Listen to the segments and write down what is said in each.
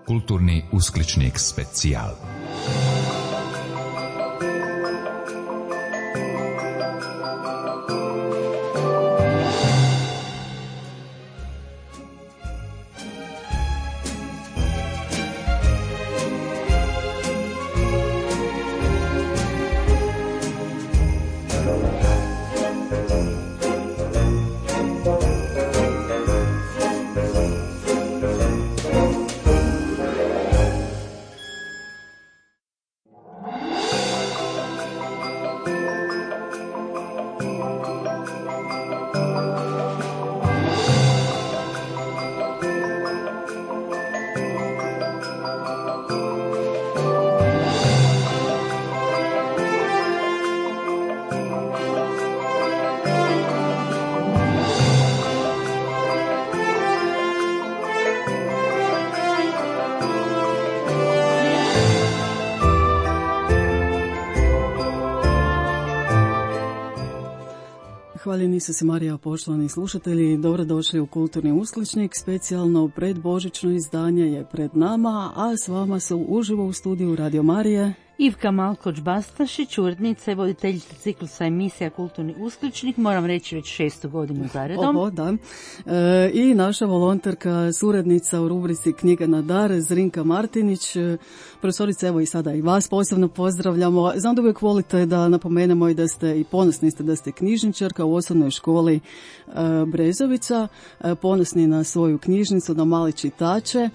Kulturni uskličnik specijal. Hvaljeni su se Marija, poštovani slušatelji, dobrodošli u Kulturni uskličnik, specijalno predbožićno izdanje je pred nama, a s vama su uživo u studiju Radio Marije Ivka Malkoč-Bastašić, urednica i voditeljica ciklusa emisija Kulturni uskličnik, moram reći već 6. godinu zaredom. Ovo, da. I naša volonterka, suradnica u rubrici Knjiga na dar, Zrinka Martinić. Profesorice, evo i sada i vas posebno pozdravljamo. Znam da uvijek volite da napomenemo i da ste i ponosni ste da ste knjižničarka u osnovnoj školi Brezovica, ponosni na svoju knjižnicu, na male čitače.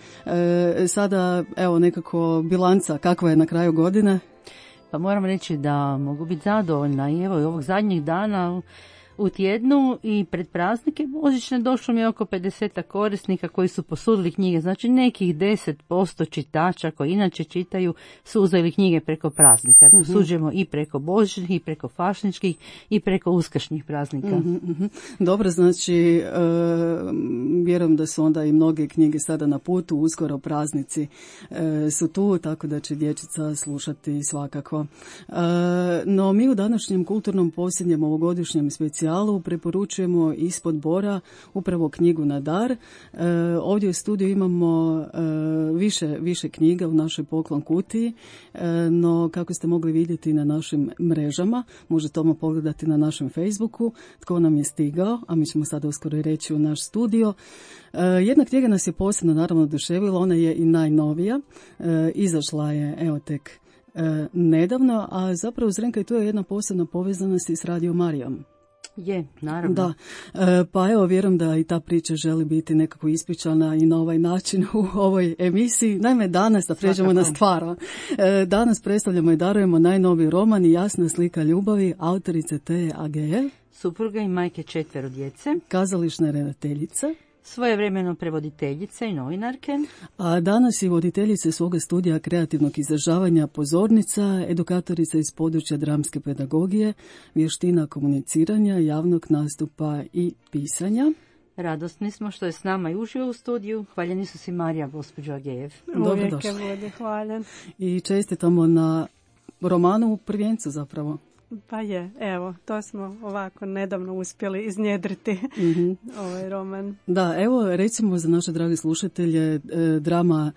Sada, evo, nekako bilanca kakva je na kraju godine? Pa moram reći da mogu biti zadovoljna i evo i ovog zadnjih dana u tjednu i pred praznike božićne došlo mi je oko 50 korisnika koji su posudili knjige, znači nekih 10% čitača koji inače čitaju su uzeli knjige preko praznika. Posuđujemo i preko božićnih, i preko fašničkih, i preko uskršnjih praznika. Dobro, znači vjerujem da su onda i mnoge knjige sada na putu, uskoro praznici su tu, tako da će dječica slušati svakako. No mi u današnjem kulturnom posljednjem ovogodišnjem specijalu preporučujemo ispod bora upravo knjigu na dar. Ovdje u studiju imamo više knjiga u našoj poklon kutiji, no kako ste mogli vidjeti na našim mrežama, možete odmah pogledati na našem Facebooku tko nam je stigao, a mi ćemo sada uskoro i reći u naš studio. Jedna knjiga nas je posebno naravno oduševila, ona je i najnovija, izašla je evo tek nedavno, a zapravo Zrenka i tu je jedna posebna povezanost i s Radio Marijom. Je, naravno. Da, pa evo vjerujem da i ta priča želi biti nekako ispričana i na ovaj način u ovoj emisiji. Naime, danas, da pređemo na stvar, danas predstavljamo i darujemo najnoviji roman i Jasna slika ljubavi autorice Teje Ageje, supruga i majke 4 djece, kazališne redateljice, svojevremeno prevoditeljice i novinarke. A danas i voditeljice svoga studija kreativnog izražavanja, pozornica, edukatorica iz područja dramske pedagogije, vještina komuniciranja, javnog nastupa i pisanja. Radosni smo što je s nama i uživo u studiju. Hvaljeni su si Marija, gospođo Agejev. Uvijek je bude hvaljen. I čestitamo na romanu u prvencu zapravo. Pa je, evo, to smo ovako nedavno uspjeli iznjedriti ovaj roman. Da, evo recimo za naše drage slušatelje, drama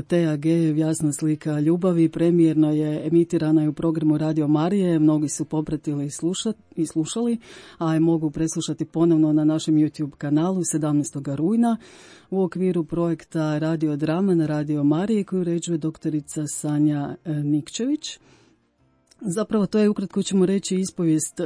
Teje Agejev, Jasna slika ljubavi, premijerno je emitirana i u programu Radio Marije, mnogi su popratili i slušali, a je mogu preslušati ponovno na našem YouTube kanalu 17. rujna u okviru projekta Radio Drama na Radio Marije koju uređuje doktorica Sanja Nikčević. Zapravo to je, ukratko ćemo reći, ispovijest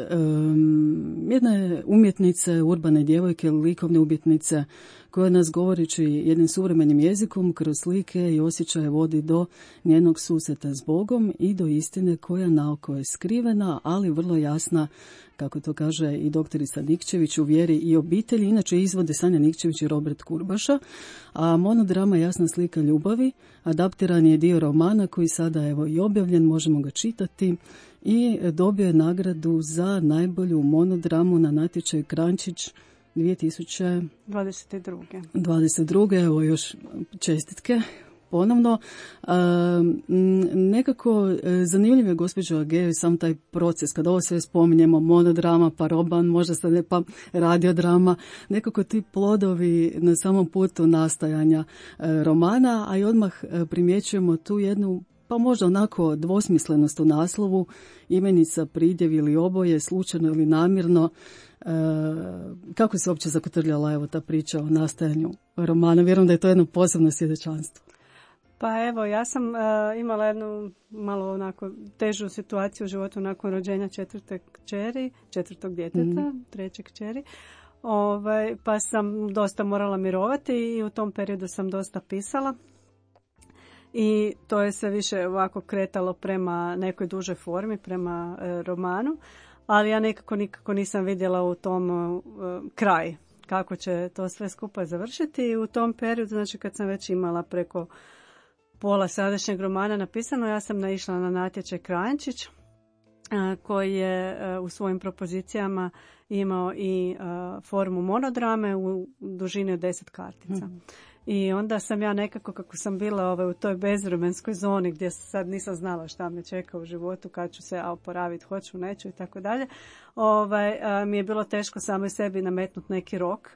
jedne umjetnice, urbane djevojke, likovne umjetnice, koja nas govoreći jednim suvremenim jezikom kroz slike i osjećaje vodi do njenog susreta s Bogom i do istine koja naoko je skrivena, ali vrlo jasna, kako to kaže i doktorica Nikčević, u vjeri i obitelji. Inače izvode Sanja Nikčević i Robert Kurbaša, a monodrama Jasna slika ljubavi adaptiran je dio romana koji sada evo i objavljen, možemo ga čitati, i dobio je nagradu za najbolju monodramu na natječaju Krančić 2022. Evo još čestitke. ponovno. Nekako zanimljiv je, gospođo Agej, sam taj proces, kada ovo sve spominjemo, monodrama, pa roman, možda se ne, pa radiodrama, nekako ti plodovi na samom putu nastajanja romana, a i odmah primjećujemo tu jednu, pa možda onako dvosmislenost u naslovu, imenica, pridjev ili oboje, slučajno ili namjerno. Kako se uopće zakotrljala evo ta priča o nastajanju romana? Vjerujem da je to jedno posebno svjedočanstvo. Pa evo, ja sam imala jednu malo onako težu situaciju u životu nakon rođenja četvrtog djeteta, treće kćeri. Pa sam dosta morala mirovati i u tom periodu sam dosta pisala. I to je sve više ovako kretalo prema nekoj dužoj formi, prema romanu. Ali ja nikako nisam vidjela u tom kraj kako će to sve skupa završiti. I u tom periodu, znači kad sam već imala preko pola sadašnjeg romana napisano, ja sam naišla na natječaj Kranjčić koji je u svojim propozicijama imao i formu monodrame u dužini od 10 kartica. I onda sam ja nekako, kako sam bila u toj bezvremenskoj zoni gdje sad nisam znala šta me čeka u životu, kad ću se oporaviti, hoću, neću i tako dalje, mi je bilo teško samo sebi nametnuti neki rok.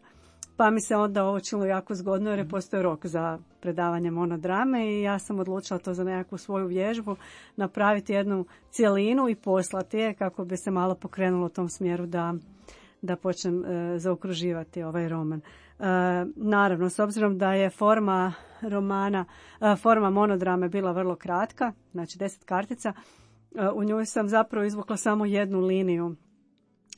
Pa mi se onda ovo činilo jako zgodno jer je postoji rok za predavanje monodrame i ja sam odlučila to za nekakvu svoju vježbu napraviti jednu cjelinu i poslati je kako bi se malo pokrenulo u tom smjeru da počnem zaokruživati ovaj roman. Naravno, s obzirom da je forma monodrame bila vrlo kratka, znači 10 kartica, u njoj sam zapravo izvukla samo jednu liniju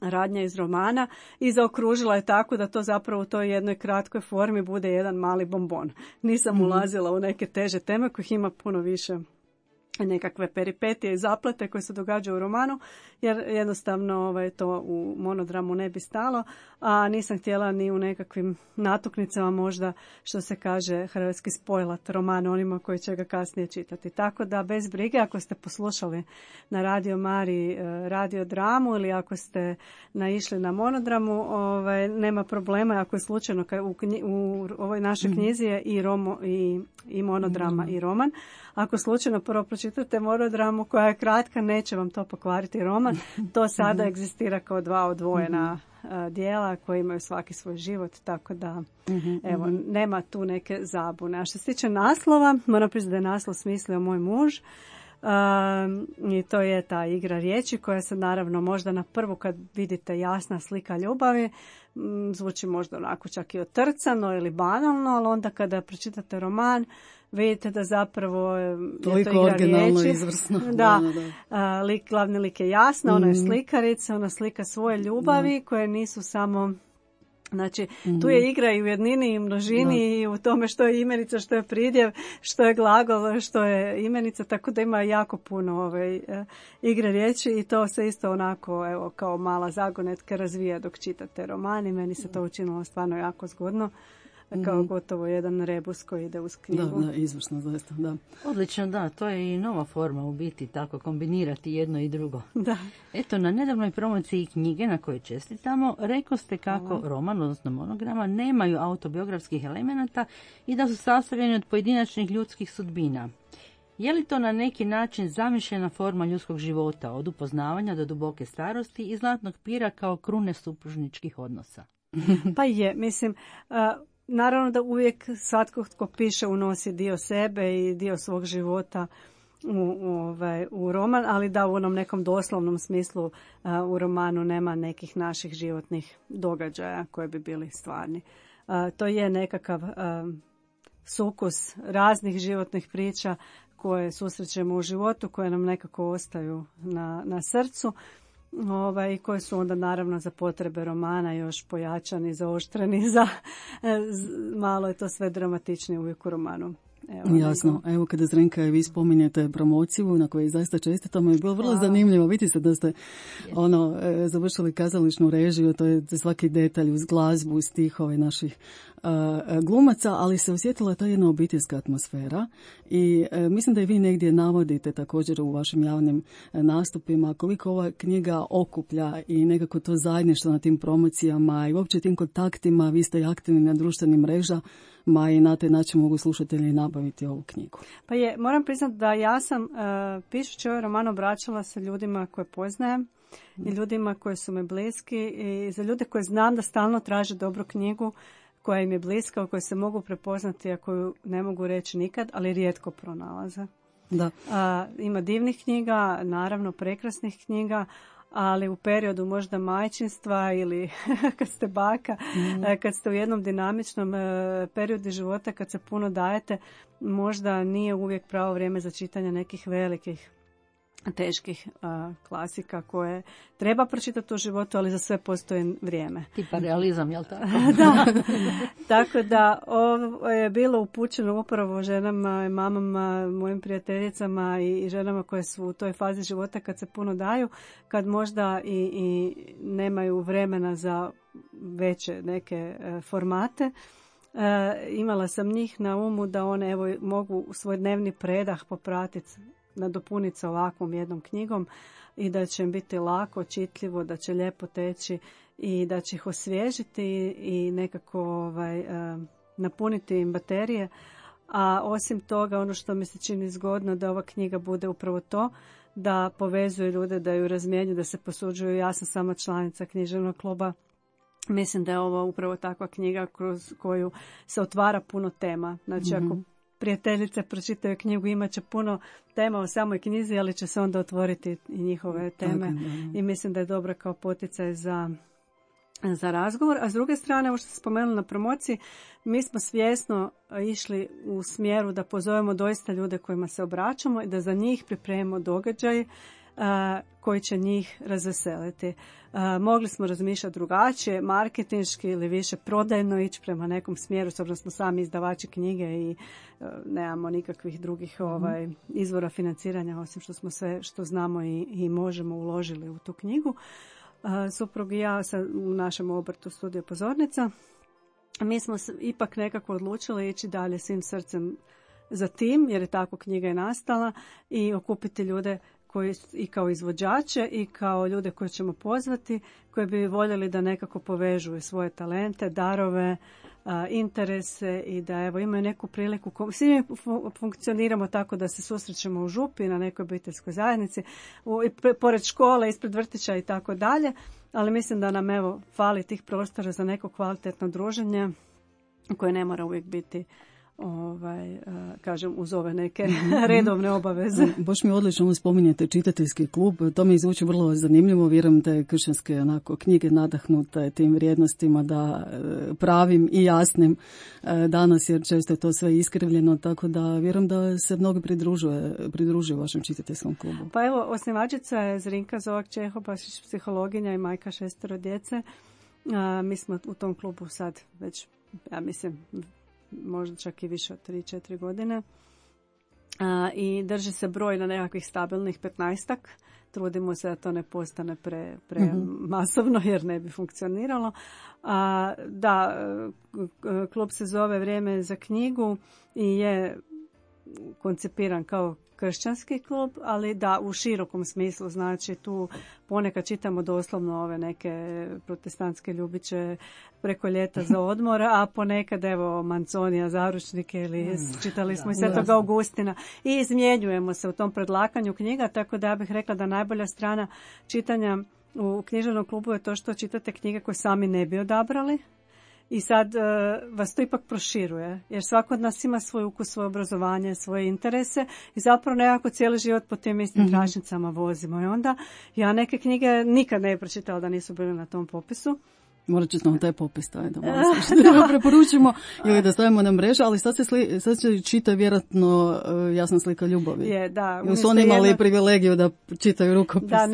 radnja iz romana i zaokružila je tako da to zapravo u toj jednoj kratkoj formi bude jedan mali bombon. Nisam ulazila u neke teže teme kojih ima puno više, nekakve peripetije i zaplete koje se događaju u romanu, jer jednostavno to u monodramu ne bi stalo, a nisam htjela ni u nekakvim natuknicama možda, što se kaže, hrvatski spojlat roman onima koji će ga kasnije čitati. Tako da bez brige, ako ste poslušali na Radio Mariji radiodramu ili ako ste naišli na monodramu, nema problema, ako je slučajno u ovoj našoj knjizi je i monodrama i roman. Ako slučajno prvo pročitate monodramu koja je kratka, neće vam to pokvariti roman. To sada egzistira kao dva odvojena dijela koji imaju svaki svoj život, tako da evo, nema tu neke zabune. A što se tiče naslova, moram priznati da je naslov smislio moj muž. I to je ta igra riječi koja se naravno možda na prvu kad vidite jasna slika ljubavi zvuči možda onako čak i otrcano ili banalno, ali onda kada pročitate roman vidite da zapravo je to igra riječi. Izvrsno. Da. Glavni lik je jasna, ona je slikarica, ona slika svoje ljubavi koje nisu samo... Znači, tu je igra i u jednini i množini i u tome što je imenica, što je pridjev, što je glagol, što je imenica, tako da ima jako puno igre riječi i to se isto onako, evo, kao mala zagonetka razvija dok čitate roman i meni se to učinilo stvarno jako zgodno. Kao gotovo jedan rebus koji ide uz knjigu. Da, izvršno, zaista, da. Odlično, da, to je i nova forma u biti, tako kombinirati jedno i drugo. Da. Eto, na nedavnoj promociji knjige na kojoj čestitamo, rekao ste kako roman, odnosno monograma, nemaju autobiografskih elemenata i da su sastavljeni od pojedinačnih ljudskih sudbina. Je li to na neki način zamišljena forma ljudskog života, od upoznavanja do duboke starosti i zlatnog pira kao krune supružničkih odnosa? Pa je, mislim... Naravno da uvijek svatko tko piše unosi dio sebe i dio svog života u roman, ali da u onom nekom doslovnom smislu u romanu nema nekih naših životnih događaja koji bi bili stvarni. To je nekakav sukus raznih životnih priča koje susrećemo u životu, koje nam nekako ostaju na srcu. I koje su onda naravno za potrebe romana još pojačani, zaoštreni, malo je to sve dramatičnije uvijek u romanu. Evo, jasno. Evo kada Zrenka vi spominjete promociju na kojoj zaista čestitamo, je bilo vrlo zanimljivo. Vidite se da ste završili kazališnu režiju, to je svaki detalj uz glazbu, stihove naših glumaca, ali se osjetila ta jedna obiteljska atmosfera i mislim da i vi negdje navodite također u vašim javnim nastupima koliko ova knjiga okuplja i nekako to zajedništvo na tim promocijama i uopće tim kontaktima. Vi ste aktivni na društvenim i na taj način mogu slušatelji nabaviti ovu knjigu. Pa moram priznati da ja sam pišući ovaj roman obraćala se ljudima koje poznajem i ljudima koji su mi bliski i za ljude koje znam da stalno traže dobru knjigu koja im je bliska, u kojoj se mogu prepoznati, a koju ne mogu reći nikad, ali rijetko pronalaze. Da. Ima divnih knjiga, naravno prekrasnih knjiga, ali u periodu možda majčinstva ili kad ste baka, kad ste u jednom dinamičnom periodu života, kad se puno dajete, možda nije uvijek pravo vrijeme za čitanje nekih velikih, teških klasika koje treba pročitati u životu, ali za sve postoji vrijeme. Tipa realizam, jel tako? Da. Tako da ovo je bilo upućeno upravo ženama, mamama, mojim prijateljicama i ženama koje su u toj fazi života kad se puno daju, kad možda i nemaju vremena za veće neke formate. Imala sam njih na umu da one mogu svoj dnevni predah popratiti, nadopuniti sa ovakvom jednom knjigom i da će im biti lako, čitljivo, da će lijepo teći i da će ih osvježiti i nekako napuniti im baterije. A osim toga, ono što mi se čini zgodno da ova knjiga bude upravo to, da povezuje ljude, da ju razmjenjuju, da se posuđuju. Ja sam sama članica književnog kluba. Mislim da je ovo upravo takva knjiga kroz koju se otvara puno tema. Znači, ako prijateljice pročitaju knjigu, imat će puno tema o samoj knjizi, ali će se onda otvoriti i njihove teme. I mislim da je dobro kao poticaj za razgovor. A s druge strane, ovo što ste spomenuli na promociji, mi smo svjesno išli u smjeru da pozovemo doista ljude kojima se obraćamo i da za njih pripremimo događaj koji će njih razveseliti. Mogli smo razmišljati drugačije, marketinški ili više prodajno ići prema nekom smjeru, s obzirom da smo sami izdavači knjige i nemamo nikakvih drugih izvora financiranja, osim što smo sve što znamo i možemo uložili u tu knjigu. Suprug i ja u našem obrtu Studio Pozornica. Mi smo ipak nekako odlučili ići dalje svim srcem za tim, jer je tako knjiga i nastala, i okupiti ljude koji i kao izvođače i kao ljude koje ćemo pozvati, koji bi voljeli da nekako povežu svoje talente, darove, interese i da imaju neku priliku. Svi funkcioniramo tako da se susrećemo u župi, na nekoj obiteljskoj zajednici, pored škole, ispred vrtića i tako dalje, ali mislim da nam fali tih prostora za neko kvalitetno druženje koje ne mora uvijek biti kažem, uz ove neke redovne obaveze. Baš mi odlično spominjete čitateljski klub, to mi zvuči vrlo zanimljivo, vjerujem da je kršćanske knjige nadahnute tim vrijednostima, da pravim i jasnim danas, jer često je to sve iskrivljeno, tako da vjerujem da se mnogi pridružuju vašem čitateljskom klubu. Pa evo, osnivačica je Zrinka Zovak-Čehobašić, psihologinja i majka 6 djece. Mi smo u tom klubu sad već, ja mislim, možda čak i više od 3-4 godine. I drži se broj na nekakvih stabilnih 15-ak. Trudimo se da to ne postane pre masovno, jer ne bi funkcioniralo. Klub se zove Vrijeme za knjigu i je koncipiran kao kršćanski klub, ali da u širokom smislu, znači tu ponekad čitamo doslovno ove neke protestantske ljubiće preko ljeta za odmor, a ponekad Manconija zaručnike ili čitali smo i Svetog Augustina i izmjenjujemo se u tom predlakanju knjiga, tako da ja bih rekla da najbolja strana čitanja u književnom klubu je to što čitate knjige koje sami ne bi odabrali. I sad vas to ipak proširuje, jer svako od nas ima svoj ukus, svoje obrazovanje, svoje interese i zapravo nekako cijeli život po tim istim tračnicama vozimo. I onda ja neke knjige nikad ne pročitala da nisu bile na tom popisu. Morat ću nam taj popis staviti da preporučimo ili da stavimo na mrežu, ali sad se čita vjerojatno Jasna slika ljubavi. Je, da. Ili su oni imali privilegiju da čitaju rukopis? Da,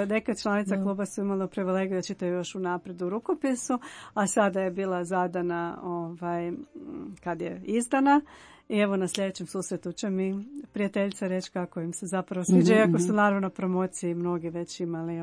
neke članica kluba su imali privilegiju da čitaju još unaprijed u rukopisu, a sada je bila zadana kad je izdana. I evo na sljedećem susretu će mi prijateljica reći kako im se zapravo sviđa, iako su naravno na promociji mnogi već imali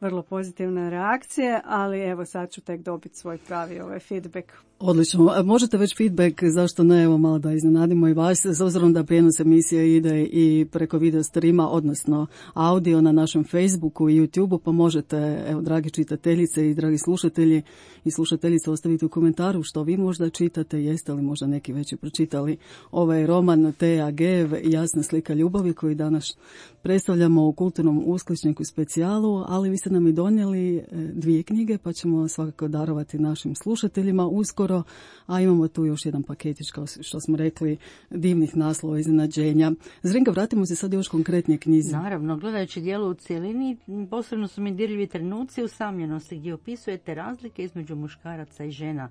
vrlo pozitivne reakcije, ali evo sad ću tek dobiti svoj pravi feedback. Odlično. Možete već feedback, zašto ne, evo malo da iznenadimo i vas, s obzirom da prijenos emisije ide i preko video streama, odnosno audio na našem Facebooku i YouTubeu, pa možete, evo, dragi čitateljice i dragi slušatelji i slušateljice, ostaviti u komentaru što vi možda čitate, jeste li možda neki već i pročitali ovaj roman Tea Gev, Jasna slika ljubavi, koji danas predstavljamo u Kulturnom uskličniku specijalu, ali vi ste nam i donijeli 2 knjige, pa ćemo svakako darovati našim slušateljima uskoro, a imamo tu još jedan paketić, kao što smo rekli, divnih naslova, iznenađenja. Zrinka, vratimo se sad još konkretnije knjizi. Naravno, gledajući dijelo u cjelini, posebno su mi dirljivi trenuci usamljenosti gdje opisujete razlike između muškaraca i žena.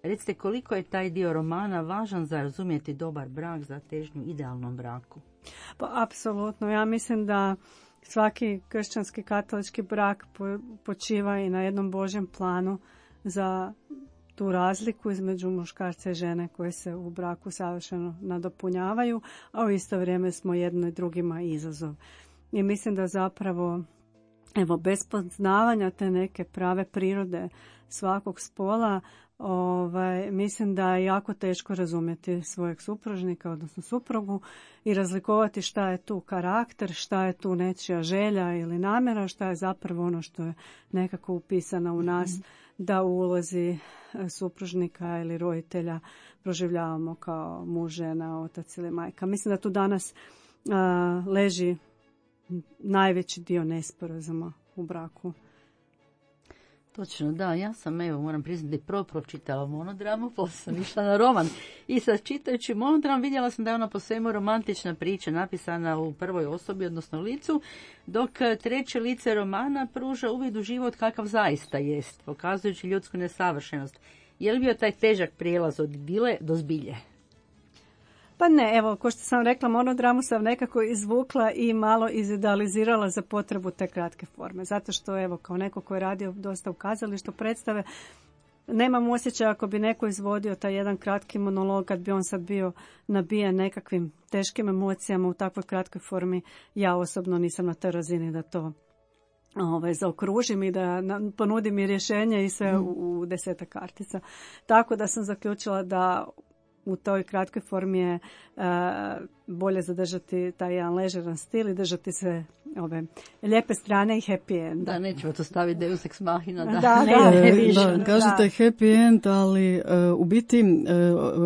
Recite, koliko je taj dio romana važan za razumjeti dobar brak, za težnju idealnom braku? Pa apsolutno, ja mislim da svaki kršćanski katolički brak počiva i na jednom Božjem planu za tu razliku između muškarca i žene koje se u braku savršeno nadopunjavaju, a u isto vrijeme smo jedno i drugima izazov. I mislim da zapravo, evo, bez poznavanja te neke prave prirode svakog spola, mislim da je jako teško razumjeti svojeg supružnika, odnosno suprugu, i razlikovati šta je tu karakter, šta je tu nečija želja ili namjera, šta je zapravo ono što je nekako upisano u nas, da u ulozi supružnika ili roditelja proživljavamo kao muž, žena, otac ili majka. Mislim da tu danas leži najveći dio nesporazuma u braku. Točno, da, ja sam, evo, moram priznati, prvo pročitala monodramu, poslije sam išla na roman. I sad čitajući monodram vidjela sam da je ona po svemu romantična priča, napisana u prvoj osobi, odnosno licu, dok treće lice romana pruža uvid u život kakav zaista jest, pokazujući ljudsku nesavršenost. Je li bio taj težak prijelaz od idile do zbilje? Pa ne, evo, ko što sam rekla, monodramu sam nekako izvukla i malo izidealizirala za potrebu te kratke forme. Zato što, evo, kao neko ko je radio dosta u kazalištu predstave, nemam osjećaja ako bi neko izvodio taj jedan kratki monolog, kad bi on sad bio nabijen nekakvim teškim emocijama u takvoj kratkoj formi. Ja osobno nisam na toj razini da to zaokružim i da ponudim i rješenje i sve u 10 kartica. Tako da sam zaključila da u toj kratkoj formi je bolje zadržati taj jedan ležeran stil i držati sve ove lijepe strane i happy end. Da, nećemo to staviti Deus ex machina. Da, kažete happy end, ali u biti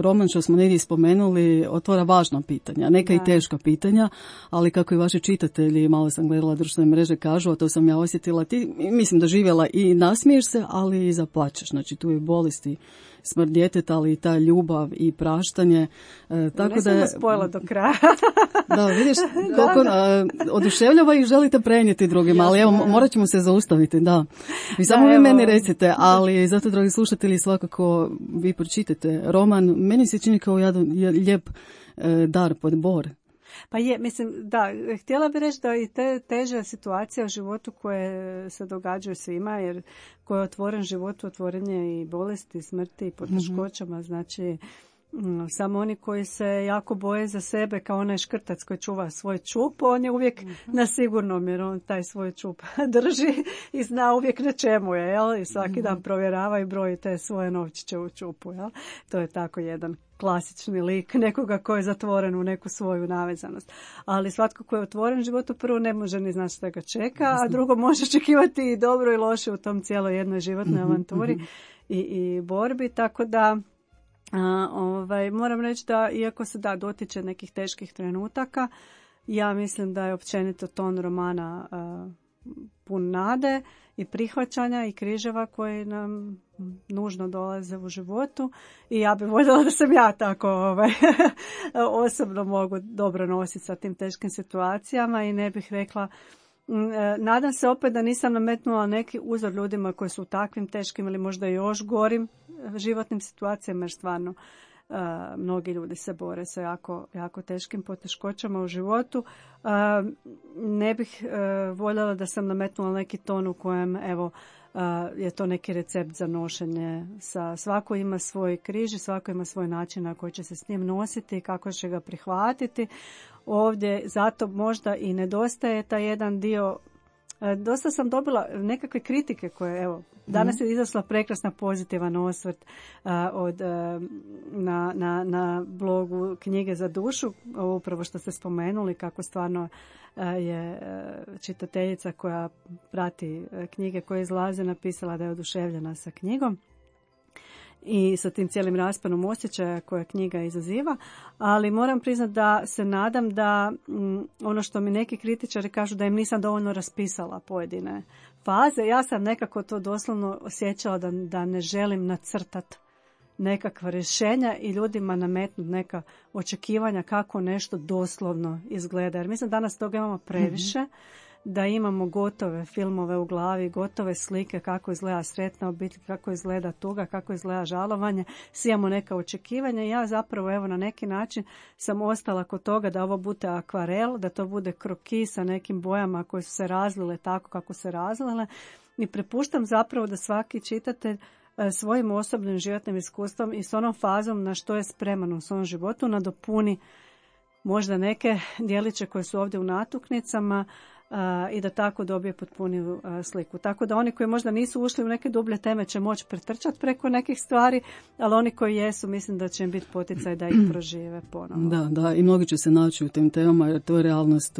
roman što smo negdje spomenuli otvara važna pitanja, neka i teška pitanja, ali kako i vaši čitatelji, malo sam gledala društvene mreže, kažu, a to sam ja osjetila, ti mislim da živjela i nasmiješ se, ali i zaplačeš. Znači tu je bolesti, smrt djeteta, ali i ta ljubav i praštanje. Tako ne sam spojila do kraja. Da, vidiš koliko oduševljava i želite prenijeti drugima, ali evo, morat ćemo se zaustaviti, da. Vi samo vi meni recite, ali zato, dragi slušatelji, svakako vi pročitajte roman. Meni se čini kao jedan lijep dar pod bor. Pa je, mislim, da, htjela bih reći da i te teže situacije u životu koje se događaju svima, jer ko je otvoren životu, otvoren je i bolesti, i smrti, i poteškoćama, znači samo oni koji se jako boje za sebe, kao onaj škrtac koji čuva svoj čup, on je uvijek na sigurnom, jer on taj svoj čup drži i zna uvijek na čemu je, jel? I svaki dan provjerava i broji te svoje novčiće u čupu, jel? To je tako jedan klasični lik nekoga koji je zatvoren u neku svoju navezanost. Ali svatko koji je otvoren životu, prvo ne može ni znati što ga čeka, a drugo može očekivati i dobro i loše u tom cijeloj jednoj životnoj avanturi i borbi, tako da moram reći da, iako se dotiče nekih teških trenutaka, ja mislim da je općenito ton romana pun nade i prihvaćanja i križeva koji nam nužno dolaze u životu, i ja bih voljela da sam ja tako osobno mogu dobro nositi sa tim teškim situacijama i ne bih rekla, nadam se opet da nisam nametnula neki uzor ljudima koji su u takvim teškim ili možda još gorim životnim situacijama, jer stvarno mnogi ljudi se bore sa jako, jako teškim poteškoćama u životu. Ne bih voljela da sam nametnula neki ton u kojem je to neki recept za nošenje. Svako ima svoj križ i svako ima svoj način na koji će se s njim nositi i kako će ga prihvatiti. Ovdje zato možda i nedostaje taj jedan dio Dosta sam dobila nekakve kritike koje, evo, danas je izašla prekrasna pozitivan osvrt na blogu Knjige za dušu, ovo upravo što ste spomenuli, kako stvarno je čitateljica koja prati knjige koje izlaze napisala da je oduševljena sa knjigom i sa tim cijelim rasponom osjećaja koja knjiga izaziva, ali moram priznati da se nadam da ono što mi neki kritičari kažu da im nisam dovoljno raspisala pojedine faze, ja sam nekako to doslovno osjećala da ne želim nacrtati nekakva rješenja i ljudima nametnuti neka očekivanja kako nešto doslovno izgleda. Jer mislim danas toga imamo previše, da imamo gotove filmove u glavi, gotove slike kako izgleda sretna obitelj, kako izgleda tuga, kako izgleda žalovanje. Svi imamo neka očekivanja i ja zapravo evo na neki način sam ostala kod toga da ovo bude akvarel, da to bude kroki sa nekim bojama koje su se razlile tako kako se razlile i prepuštam zapravo da svaki čitatelj svojim osobnim životnim iskustvom i s onom fazom na što je spreman u svom životu nadopuni možda neke dijeliće koje su ovdje u natuknicama i da tako dobije potpuniju sliku. Tako da oni koji možda nisu ušli u neke dublje teme će moći pretrčati preko nekih stvari, ali oni koji jesu, mislim da će im biti poticaj da ih prožive ponovno. Da, i mnogi će se naći u tim temama jer to je realnost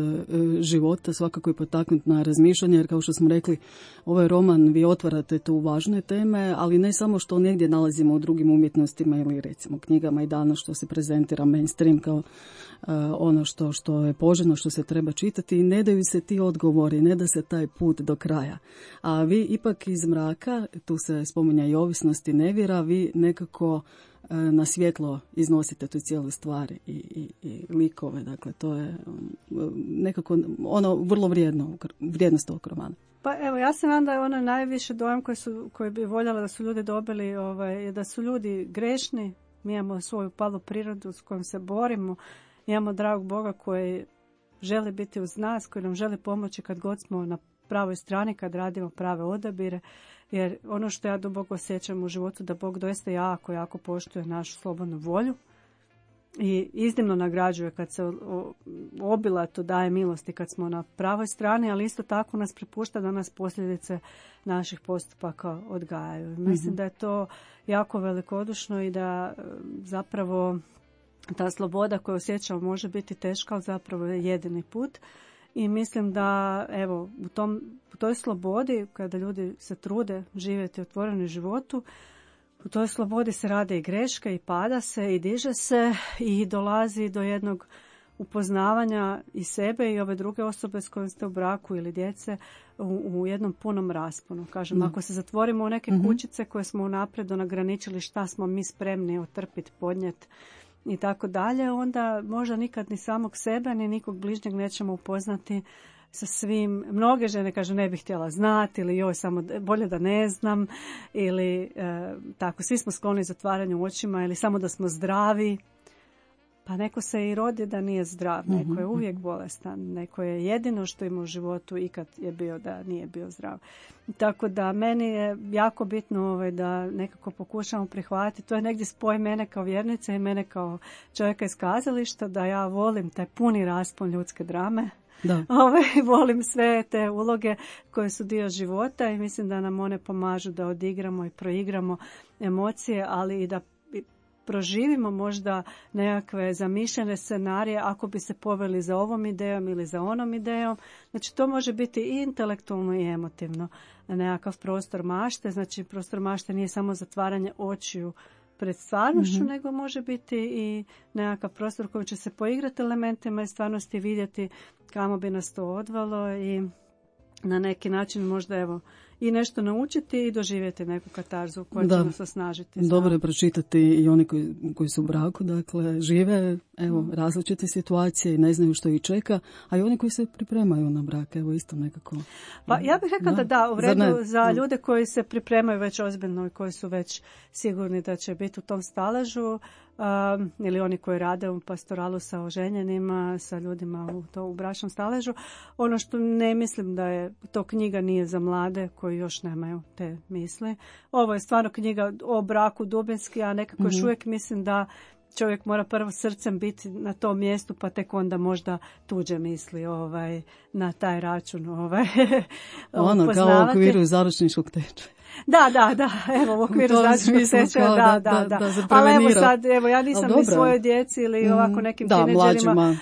života, svakako je potaknuti na razmišljanje, jer kao što smo rekli, ovaj roman vi otvarate tu važne teme, ali ne samo što negdje nalazimo u drugim umjetnostima ili recimo knjigama i danas što se prezentira mainstream kao ono što je poželjno, što se treba čitati i ne daju se ti odgovori, ne da se taj put do kraja. A vi ipak iz mraka, tu se spominja i ovisnost i nevjera, vi nekako na svjetlo iznosite tu cijelu stvar i likove. Dakle, to je nekako ono vrlo vrijednost ovog romana. Pa evo, ja se nadam da je ono najviše dojam koji bi voljela da su ljudi dobili, da su ljudi grešni, mi imamo svoju palu prirodu s kojom se borimo, imamo dragog Boga koji želi biti uz nas, koji nam želi pomoći kad god smo na pravoj strani, kad radimo prave odabire, jer ono što ja duboko osjećam u životu da Bog doista jako poštuje našu slobodnu volju i iznimno nagrađuje kad se obilato daje milosti kad smo na pravoj strani, ali isto tako nas prepušta da nas posljedice naših postupaka odgajaju. Mislim da je to jako velikodušno i da zapravo ta sloboda koju osjećamo može biti teška, ali zapravo je jedini put. I mislim da evo u toj slobodi kada ljudi se trude živjeti u otvorenom životu, u toj slobodi se rade i greške i pada se i diže se i dolazi do jednog upoznavanja i sebe i ove druge osobe s kojim ste u braku ili djece u jednom punom rasponu. Kažem, ako se zatvorimo u neke kućice koje smo unaprijed ograničili šta smo mi spremni otrpiti, podnijeti i tako dalje, onda možda nikad ni samog sebe ni nikog bližnjeg nećemo upoznati sa svim. Mnoge žene kažu ne bih htjela znati ili joj samo bolje da ne znam ili tako, svi smo skloni zatvaranju očima ili samo da smo zdravi. Pa neko se i rodi da nije zdrav, neko je uvijek bolestan, neko je jedino što ima u životu ikad je bio da nije bio zdrav. Tako da meni je jako bitno da nekako pokušamo prihvatiti, to je negdje spoj mene kao vjernice i mene kao čovjeka iz kazališta, da ja volim taj puni raspon ljudske drame. Da. Volim sve te uloge koje su dio života i mislim da nam one pomažu da odigramo i proigramo emocije, ali i da proživimo možda nekakve zamišljene scenarije ako bi se poveli za ovom idejom ili za onom idejom. Znači to može biti i intelektualno i emotivno nekakav prostor mašte. Znači prostor mašte nije samo zatvaranje očiju pred stvarnošću, nego može biti i nekakav prostor koji će se poigrati elementima i stvarnosti vidjeti kamo bi nas to odvalo i na neki način možda i nešto naučiti i doživjeti neku katarzu koja će nas osnažiti. Dobro je pročitati i oni koji su u braku, dakle žive različite situacije i ne znaju što ih čeka, a i oni koji se pripremaju na brak, isto nekako. Pa ja bih rekla da u redu za ljude koji se pripremaju već ozbiljno i koji su već sigurni da će biti u tom staležu, ili oni koji rade u pastoralu sa oženjenima, sa ljudima u bračnom staležu. Ono što ne mislim da je to knjiga nije za mlade koji još nemaju te misli. Ovo je stvarno knjiga o braku dubinski, a nekako još uvijek mislim da čovjek mora prvo srcem biti na tom mjestu, pa tek onda možda tuđe misli na taj račun ono kao u okviru zaručničkog tečaja. Da, evo u okviru zaručničkog tečaja, da. Ali evo sad, ja nisam ni svojoj djeci ili ovako nekim tineđerima.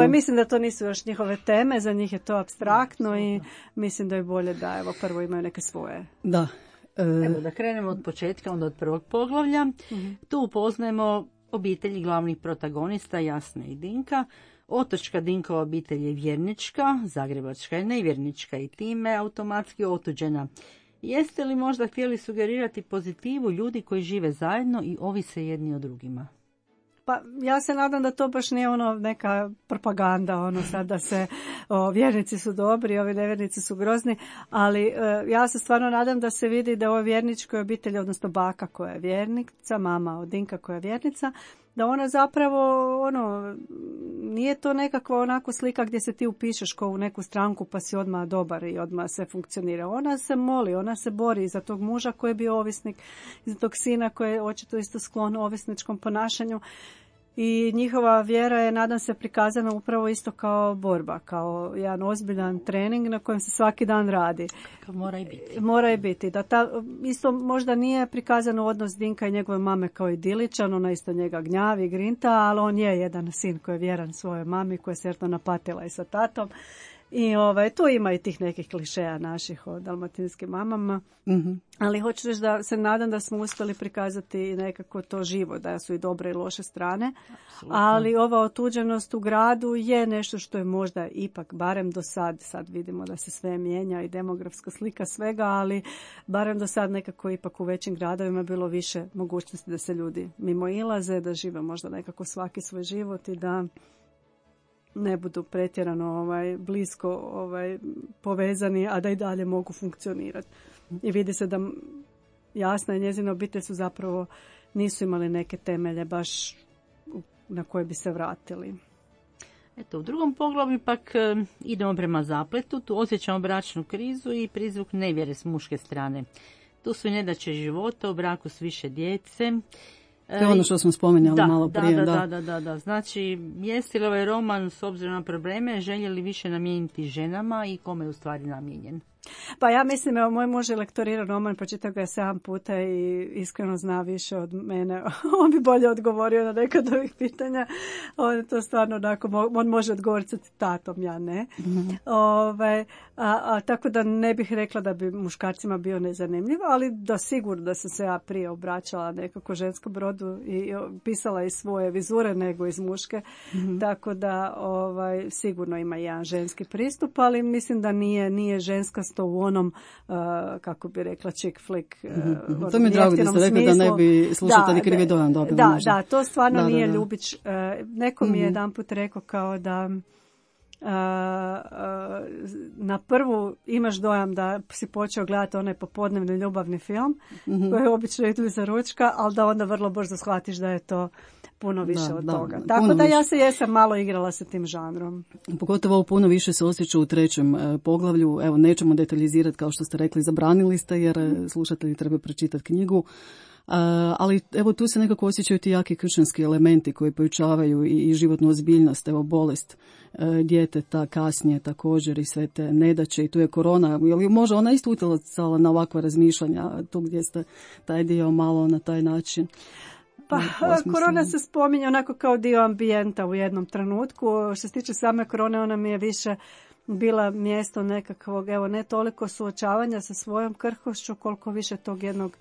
Mislim da to nisu još njihove teme, za njih je to apstraktno i mislim da je bolje da evo prvo imaju neke svoje. Da. Evo da krenemo od početka, onda od prvog poglavlja. Tu upoznajemo obitelji glavnih protagonista Jasne i Dinka. Otočka Dinkova obitelj je vjernička, zagrebačka je nevjernička i time automatski otuđena. Jeste li možda htjeli sugerirati pozitivu ljudi koji žive zajedno i ovise jedni o drugima? Pa ja se nadam da to baš nije neka propaganda, sad da se vjernici su dobri, ovi nevjernici su grozni, ali ja se stvarno nadam da se vidi da ovoj vjerničkoj obitelji, odnosno baka koja je vjernica, mama od Dinka koja je vjernica, da ona zapravo, nije to nekakva onako slika gdje se ti upišeš kao u neku stranku pa si odmah dobar i odmah sve funkcionira. Ona se moli, ona se bori za tog muža koji je bio ovisnik, za tog sina koji je očito isto sklon ovisničkom ponašanju. I njihova vjera je, nadam se, prikazana upravo isto kao borba, kao jedan ozbiljan trening na kojem se svaki dan radi. Mora i biti. Mora i biti. Da isto možda nije prikazano odnos Dinka i njegove mame kao idiličan, ona isto njega gnjavi, grinta, ali on je jedan sin koji je vjeran svojoj mami, koja je sretno napatila i sa tatom. I tu ima i tih nekih klišeja naših o dalmatinskim mamama. Mm-hmm. Ali hoću reći da se nadam da smo uspjeli prikazati nekako to živo, da su i dobre i loše strane. Absolutno. Ali ova otuđenost u gradu je nešto što je možda ipak, barem do sad vidimo da se sve mijenja i demografska slika svega, ali barem do sad nekako ipak u većim gradovima bilo više mogućnosti da se ljudi mimo ilaze, da žive možda nekako svaki svoj život i da ne budu pretjerano blisko povezani, a da i dalje mogu funkcionirati. I vidi se da Jasna i njezina obitelj su zapravo nisu imali neke temelje baš na koje bi se vratili. Eto, u drugom poglavlju pak idemo prema zapletu, tu osjećamo bračnu krizu i prizvuk nevjere s muške strane. Tu su i nedaće života, u braku s više djece. To je ono što smo spominjali malo prije. Da. Znači, jeste li ovaj roman s obzirom na probleme željeli više namijeniti ženama i kome je u stvari namijenjen? Pa ja mislim, evo, moj muž je lektorirao roman, pročitao ga je 7 puta i iskreno zna više od mene. On bi bolje odgovorio na neka od ovih pitanja. On je to stvarno onako, on može odgovoriti sa citatom, ja ne. Mm-hmm. Tako da ne bih rekla da bi muškarcima bio nezanimljiv, ali da sigurno da sam se ja prije obraćala nekako ženskom rodu i pisala iz svoje vizure nego iz muške. Mm-hmm. Tako da sigurno ima jedan ženski pristup, ali mislim da nije ženska to u onom, kako bi rekla, chick flick. To mi je drago da ste rekli da ne bi slušatelji krivi dojam dobili. Da, to stvarno nije Ljubić. Neko mi je jedanput rekao kao da na prvu imaš dojam da si počeo gledati onaj popodnevni ljubavni film, koji obično idu iza ručka, ali da onda vrlo brzo shvatiš da je to puno više od toga. Tako da ja se jesam malo igrala sa tim žanrom. Pogotovo puno više se osjeća u trećem poglavlju. Evo, nećemo detaljizirati, kao što ste rekli, zabranili ste, jer slušatelji treba pročitati knjigu. Ali evo tu se nekako osjećaju ti jaki kršćanski elementi koji pojačavaju i životnu ozbiljnost, evo bolest djeteta kasnije također i sve te nedaće i tu je korona, je može ona isto utjecala na ovakva razmišljanja tu gdje ste taj dio malo na taj način? Pa korona se spominje onako kao dio ambijenta u jednom trenutku. Što se tiče same korone, ona mi je više bila mjesto nekakvog, evo, ne toliko suočavanja sa svojom krhkošću, koliko više tog jednog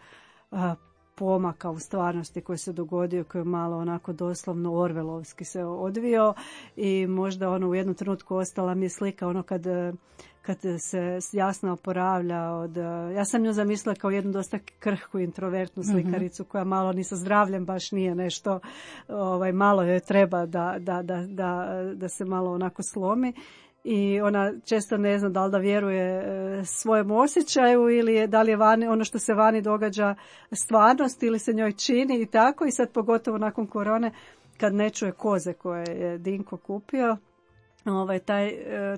pomaka u stvarnosti koji se dogodio, koji je malo onako doslovno orvelovski se odvio i možda u jednom trenutku ostala mi je slika kad se Jasna oporavlja ja sam nju zamislila kao jednu dosta krhku introvertnu slikaricu koja malo ni sa zdravljem baš nije nešto, malo joj treba da se malo onako slomi. I ona često ne zna da li da vjeruje svojem osjećaju ili da li je vani, ono što se vani događa stvarnost ili se njoj čini i tako. I sad pogotovo nakon korone kad ne čuje koze koje je Dinko kupio,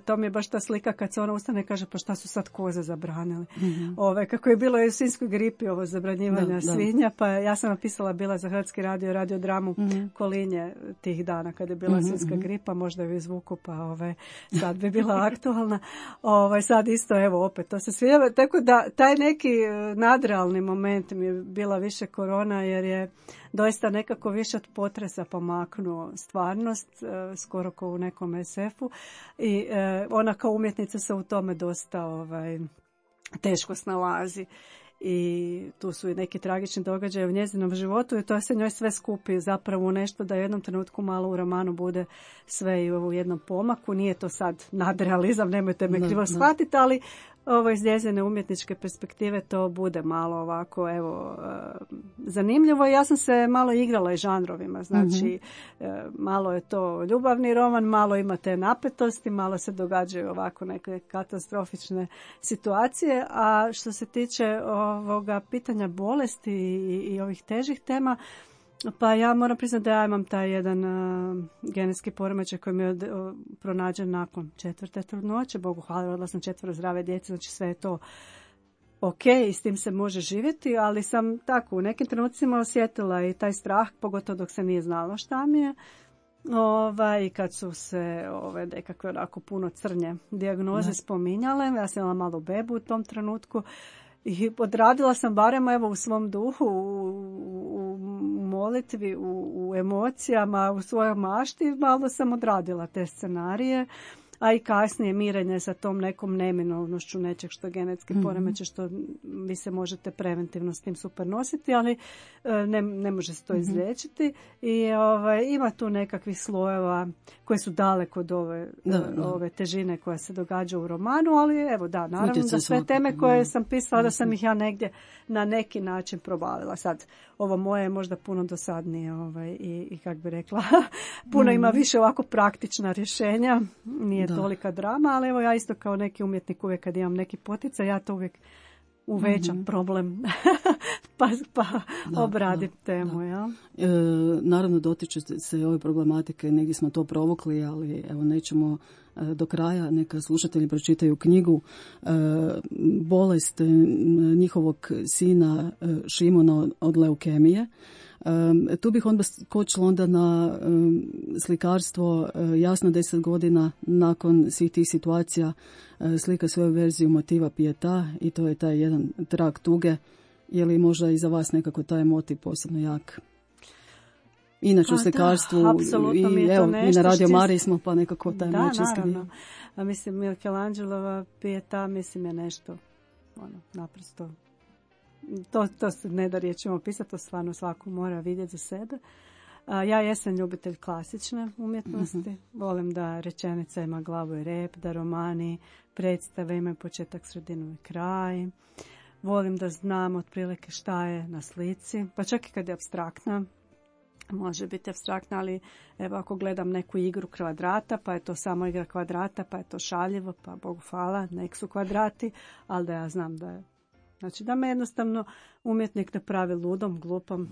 To mi je baš ta slika kad se ona ustane i kaže pa šta su sad koze zabranili. Kako je bilo i u svinjskoj gripi ovo zabranjivanja svinja, pa ja sam napisala bila za Hrvatski radio dramu Kolinje tih dana kad je bila svinjska gripa, možda ju izvuku pa sad bi bila aktualna. Sad isto evo opet to se svinjava. Tako da taj neki nadrealni moment mi je bila više korona jer je doista nekako više od potresa pomaknuo stvarnost, skoro kao u nekom SF-u i ona kao umjetnica se u tome dosta teško snalazi. I tu su i neki tragični događaji u njezinom životu i to se njoj sve skupi zapravo u nešto da u jednom trenutku malo u romanu bude sve i u jednom pomaku. Nije to sad nadrealizam, nemojte me krivo shvatiti, ali iz njezine umjetničke perspektive to bude malo ovako zanimljivo. Ja sam se malo igrala i žanrovima, znači malo je to ljubavni roman, malo ima te napetosti, malo se događaju ovako neke katastrofične situacije, a što se tiče ovoga pitanja bolesti i ovih težih tema, pa ja moram priznati da ja imam taj jedan genetski poremećaj koji mi je pronađen nakon 4. trudnoće. Bogu hvala, rodila sam 4 zdrave djece, znači sve je to ok i s tim se može živjeti, ali sam tako u nekim trenucima osjetila i taj strah, pogotovo dok se nije znalo šta mi je. I kad su se nekakve onako puno crnje dijagnoze spominjale, ja sam imala malu bebu u tom trenutku, i odradila sam barem u svom duhu, u molitvi, u emocijama, u svojoj mašti, malo sam odradila te scenarije, a i kasnije mirenje sa tom nekom neminovnošću nečeg što genetski poremeće, što vi se možete preventivno s tim super nositi, ali ne može se to izliječiti. I ima tu nekakvih slojeva koji su daleko od ove težine koja se događa u romanu, ali naravno da sve teme koje sam pisala, da sam ih ja negdje na neki način probavila. Sad, ovo moje je možda puno dosadnije i kako bi rekla, puno ima više ovako praktična rješenja, nije tolika drama, ali ja isto kao neki umjetnik uvijek kad imam neki poticaj, ja to uvijek uvećam problem pa obradim temu. Ja? Naravno dotiče se ove problematike, negdje smo to provokli, ali nećemo do kraja, neka slušatelji pročitaju knjigu. Bolest njihovog sina Šimona od leukemije. Tu bih onda skočila onda na slikarstvo. Jasno 10 godina nakon svih tih situacija slika svoju verziju motiva Pieta i to je taj jedan trag tuge. Je li možda i za vas nekako taj motiv posebno jak? Inače u slikarstvu i na Radio Mariji smo pa nekako taj moćinski dio. A mislim Michelangelova Pieta mislim je nešto naprosto to se ne da riječima opisati, to stvarno svako mora vidjeti za sebe. Ja jesam ljubitelj klasične umjetnosti, volim da rečenica ima glavu i rep, da romani predstave imaju početak, sredinu i kraj. Volim da znam otprilike šta je na slici, pa čak i kad je apstraktna. Može biti apstraktna, ali evo ako gledam neku igru kvadrata, pa je to samo igra kvadrata, pa je to šaljivo, pa Bogu hvala, nek su kvadrati, ali da ja znam da je. Znači da me jednostavno umjetnik ne pravi ludom, glupom.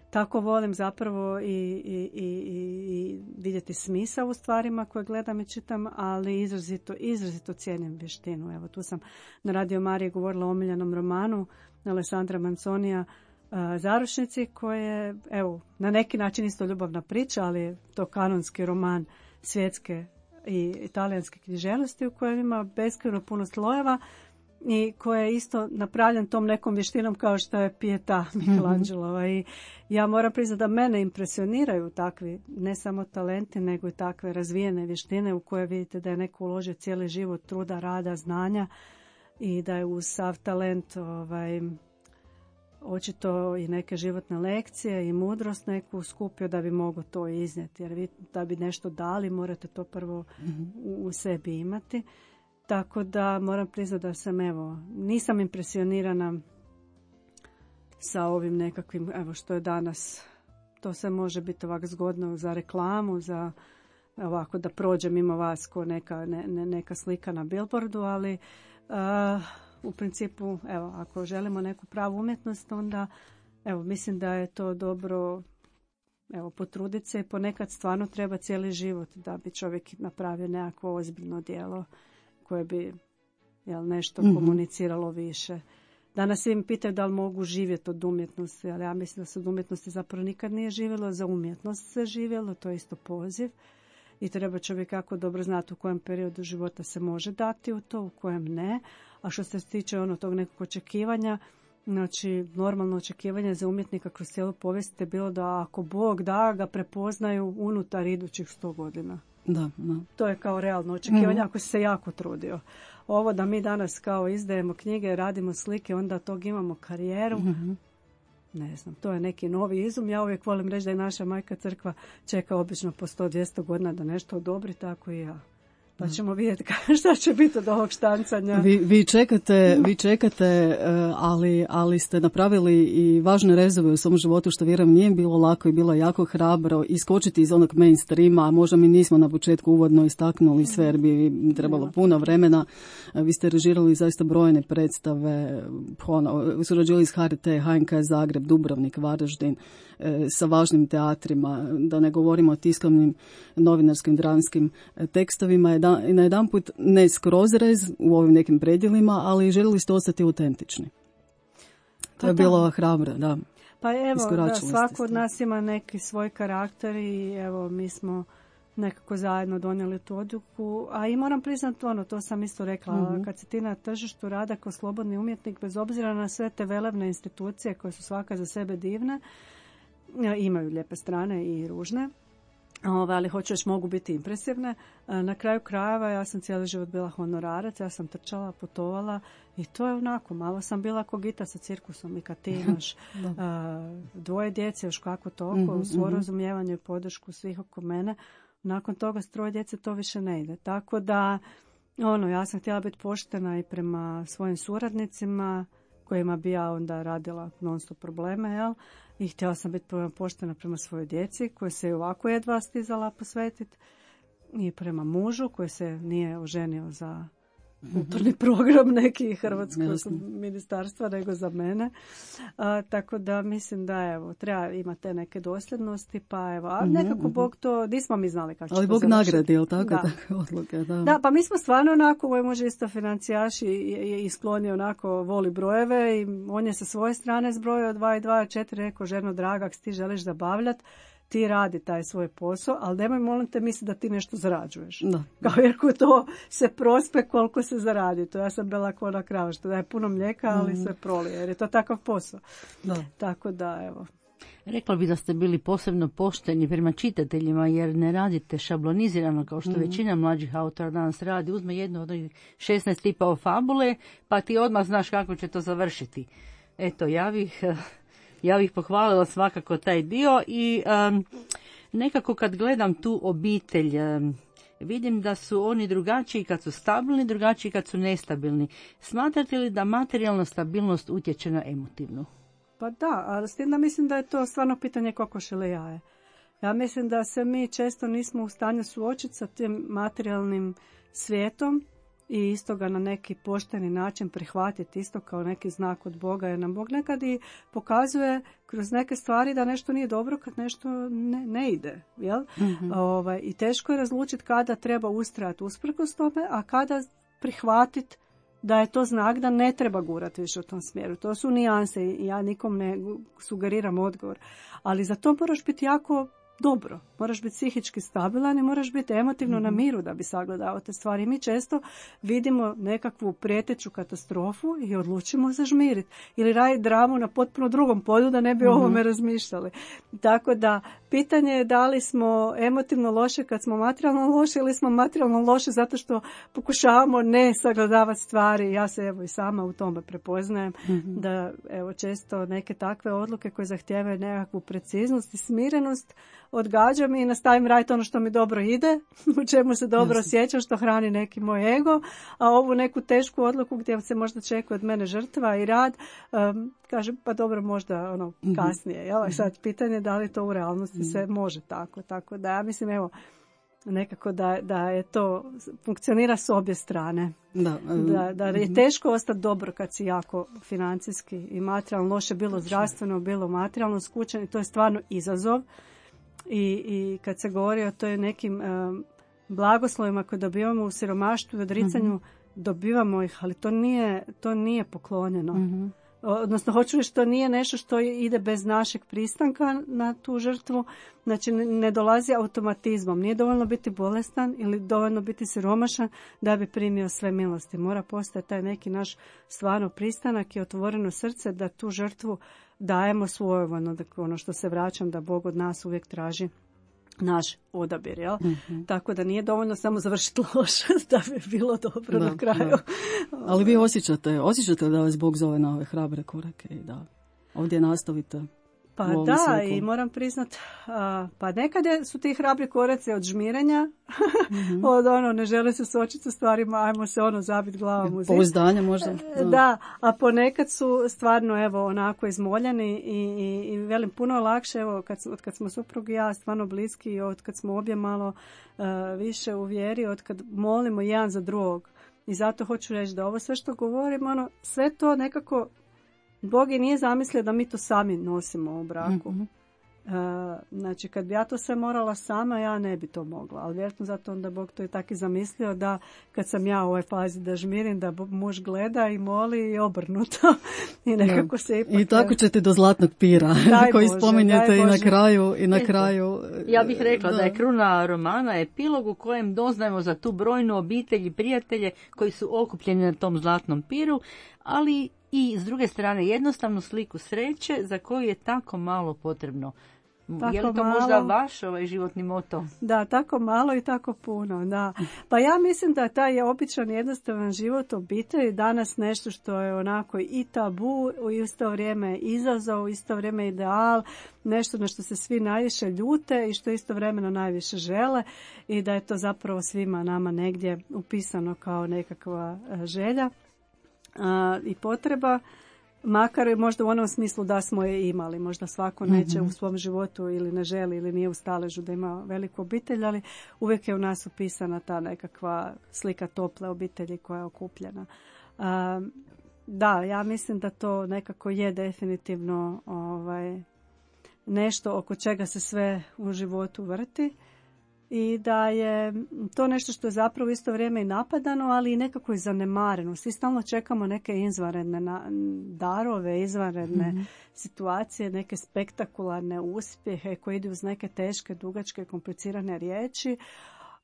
Tako volim zapravo i vidjeti smisao u stvarima koje gledam i čitam, ali izrazito cijenim vještinu. Evo tu sam na Radio Mariji govorila o omiljenom romanu Alessandra Manzonija Zaručnici, koje evo na neki način isto ljubavna priča, ali je to kanonski roman svjetske i italijanske književnosti u kojem ima beskrajno puno slojeva i koje je isto napravljen tom nekom vještinom kao što je Pieta Michelangelova. I ja moram priznati da mene impresioniraju takvi, ne samo talenti, nego i takve razvijene vještine u koje vidite da je neko uložio cijeli život truda, rada, znanja i da je uz sav talent očito i neke životne lekcije i mudrost neku skupio da bi mogao to iznijeti. Jer vi da bi nešto dali morate to prvo u sebi imati. Tako da moram priznati da sam nisam impresionirana sa ovim nekakvim, što je danas, to se može biti ovako zgodno za reklamu, za ovako da prođe mimo vas ko neka slika na billboardu, ali u principu, ako želimo neku pravu umjetnost, onda mislim da je to dobro evo, potruditi se i ponekad stvarno treba cijeli život da bi čovjek napravio nekakvo ozbiljno djelo koje bi nešto komuniciralo više. Danas svi mi pitaju da li mogu živjeti od umjetnosti, ali ja mislim da se od umjetnosti zapravo nikad nije živjelo, za umjetnost se živjelo, to je isto poziv. I treba čovjek jako dobro znati u kojem periodu života se može dati u to, u kojem ne. A što se tiče tog nekog očekivanja, znači normalno očekivanje za umjetnika kroz cijelu povijest je bilo da ako Bog da, ga prepoznaju unutar idućih 100 godina. Da. To je kao realno očekivanje ako si se jako trudio. Ovo da mi danas kao izdajemo knjige, radimo slike, onda tog imamo karijeru. Ne znam, to je neki novi izum. Ja uvijek volim reći da je naša majka crkva čeka obično po 100-200 godina da nešto odobri, tako i ja. Pa ćemo vidjeti šta će biti od ovog štancanja. Vi čekate, ali ste napravili i važne rezove u svom životu, što vjerujem nije bilo lako i bilo jako hrabro iskočiti iz onog mainstreama, a možda mi nismo na početku uvodno istaknuli sve jer bi trebalo puno vremena. Vi ste režirali zaista brojne predstave, surađivali s HRT, HNK Zagreb, Dubrovnik, Varaždin, sa važnim teatrima, da ne govorimo o tiskovnim, novinarskim, dramskim tekstovima. Na jedan put ne skroz rez u ovim nekim predjelima, ali željeli ste ostati autentični. To je bilo hrabro, da. Pa evo, da svako od nas ima neki svoj karakter i evo mi smo nekako zajedno donijeli tu odluku. A i moram priznati to sam isto rekla, kad si ti na tržištu rada kao slobodni umjetnik, bez obzira na sve te velebne institucije koje su svaka za sebe divne, imaju lijepe strane i ružne, ali hoću još mogu biti impresivne. Na kraju krajeva ja sam cijeli život bila honorarac, ja sam trčala, putovala i to je onako, malo sam bila kogita sa cirkusom i kad ti imaš 2 djece, još kako toliko, svo razumijevanje i podršku svih oko mene, nakon toga s 3 djece to više ne ide. Tako da, ja sam htjela biti poštena i prema svojim suradnicima, kojima bi ja onda radila non stop probleme, jel? I htjela sam biti poštena prema svojoj djeci, koje se i ovako jedva stizala posvetiti, i prema mužu, koji se nije oženio za kulturni program neki hrvatskog ministarstva, nego za mene. Tako da mislim da evo, treba imati te neke dosljednosti, pa evo, a nekako Bog to, nismo mi znali kako će to završiti. Ali Bog nagradi, jel tako? Takve odluke, da, pa mi smo stvarno onako, moj muž isto financijaš i skloni onako, voli brojeve i on je sa svoje strane zbrojio 2 i 2, 4, rekao, ženo draga, ako ti želiš zabavljati, ti radi taj svoj posao, ali nemoj molim te misli da ti nešto zarađuješ. Da. Kao jer to se prospe koliko se zaradi. To ja sam bila kao ona krava što daje puno mlijeka, ali sve prolije, jer je to takav posao. Da. Tako da, evo. Rekla bi da ste bili posebno pošteni prema čitateljima, jer ne radite šablonizirano kao što većina mlađih autora danas radi. Uzme jednu od 16 tipova fabule, pa ti odmah znaš kako će to završiti. Eto, ja bih pohvalila svakako taj dio i nekako kad gledam tu obitelj, vidim da su oni drugačiji kad su stabilni, drugačiji kad su nestabilni. Smatrate li da materijalna stabilnost utječe na emotivnu? Pa da, ali s tim da mislim da je to stvarno pitanje kokoš ili jaje. Ja mislim da se mi često nismo u stanju suočiti sa tim materijalnim svijetom i isto ga na neki pošteni način prihvatiti, isto kao neki znak od Boga, jer nam Bog nekad i pokazuje kroz neke stvari da nešto nije dobro kad nešto ne ide. Jel? I teško je razlučiti kada treba ustrajati usprkos tome, a kada prihvatiti da je to znak da ne treba gurati više u tom smjeru. To su nijanse i ja nikom ne sugeriram odgovor. Ali za to moraš biti jako dobro. Moraš biti psihički stabilan i moraš biti emotivno na miru da bi sagledao te stvari. Mi često vidimo nekakvu prijeteću katastrofu i odlučimo zažmiriti. Ili raditi dramu na potpuno drugom polju da ne bi o ovome razmišljali. Tako da, pitanje je da li smo emotivno loše kad smo materijalno loše ili smo materijalno loše zato što pokušavamo ne sagledavati stvari. Ja se evo i sama u tome prepoznajem da evo često neke takve odluke koje zahtijevaju nekakvu preciznost i smirenost odgađam i nastavim raditi ono što mi dobro ide, u čemu se dobro osjećam, što hrani neki moj ego, a ovu neku tešku odluku gdje se možda čeka od mene žrtva i rad, kažem pa dobro možda kasnije. Jel? Sad pitanje da li to u realnosti se može tako. Tako da ja mislim evo nekako da je to funkcionira s obje strane. Da je teško ostati dobro kad si jako financijski i materijalno loše, bilo zdravstveno, bilo materijalno skučen i to je stvarno izazov. I kad se govori o toj nekim blagoslovima koje dobivamo u siromaštvu i odricanju, dobivamo ih, ali to nije poklonjeno. Odnosno, hoću reći, to nije nešto što ide bez našeg pristanka na tu žrtvu. Znači, ne dolazi automatizmom. Nije dovoljno biti bolestan ili dovoljno biti siromašan da bi primio sve milosti. Mora postojati taj neki naš stvarno pristanak i otvoreno srce da tu žrtvu dajemo svojevoljno. Dakle, ono što se vraćam, da Bog od nas uvijek traži naš odabir, jel? Tako da nije dovoljno samo završiti loše da bi bilo dobro na kraju. Da. Ali vi osjećate da vas Bog zove na ove hrabre korake i da ovdje nastavite. Pa da, i moram priznat, pa nekad su ti hrabri koraci od žmirenja, od ne žele se suočiti sa stvarima, ajmo se zabiti glavom u zid. Pouzdanje možda. Da, a ponekad su stvarno onako izmoljeni i velim puno lakše, od kad smo suprug i ja stvarno bliski i od kad smo obje malo više u vjeri, od kad molimo jedan za drugog. I zato hoću reći da ovo sve što govorim, sve to nekako Bog i nije zamislio da mi to sami nosimo u braku. Znači, kad bi ja to sve morala sama, ja ne bi to mogla. Ali vjerojatno zato onda Bog to je tako i zamislio da kad sam ja u ovoj fazi da žmirim, da muž gleda i moli i obrnuto. I nekako se ipak... I tako ćete do zlatnog pira koji spominjete i na kraju. Ja bih rekla da je kruna romana epilog u kojem doznajemo za tu brojnu obitelj i prijatelje koji su okupljeni na tom zlatnom piru, ali i s druge strane jednostavnu sliku sreće za koju je tako malo potrebno. Tako je li to malo, možda vaš životni moto? Da, tako malo i tako puno. Da. Pa ja mislim da taj je običan jednostavan život obitelji danas nešto što je onako i tabu, u isto vrijeme izazov, u isto vrijeme ideal, nešto na što se svi najviše ljute i što istovremeno najviše žele i da je to zapravo svima nama negdje upisano kao nekakva želja i potreba, makar i možda u onom smislu da smo je imali. Možda svako neće u svom životu ili ne želi ili nije u staležu da ima veliku obitelj, ali uvijek je u nas upisana ta nekakva slika tople obitelji koja je okupljena. Da, ja mislim da to nekako je definitivno nešto oko čega se sve u životu vrti. I da je to nešto što je zapravo isto vrijeme i napadano, ali i nekako i zanemareno. Svi stalno čekamo neke izvanredne darove, izvanredne situacije, neke spektakularne uspjehe koji idu uz neke teške, dugačke, komplicirane riječi.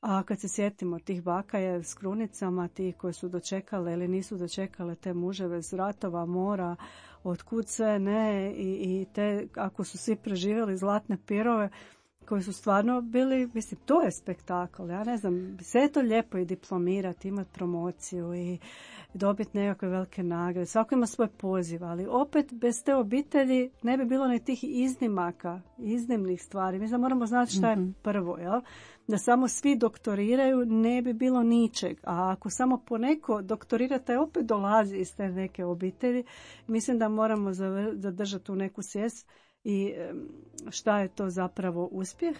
A kad se sjetimo tih baka s krunicama, ti koji su dočekale ili nisu dočekale te muževe z ratova, mora, otkud sve ne, i te, ako su svi preživjeli zlatne pirove, koji su stvarno bili, mislim, to je spektakl. Ja ne znam, sve je to lijepo i diplomirati, imati promociju i dobiti nekakve velike nagrade. Svako ima svoj poziv, ali opet bez te obitelji ne bi bilo ni tih iznimaka, iznimnih stvari. Mi znam, moramo znati šta je prvo, jel? Da samo svi doktoriraju, ne bi bilo ničeg. A ako samo poneko doktorira, taj opet dolazi iz te neke obitelji. Mislim da moramo zadržati tu neku svijest i šta je to zapravo uspjeh.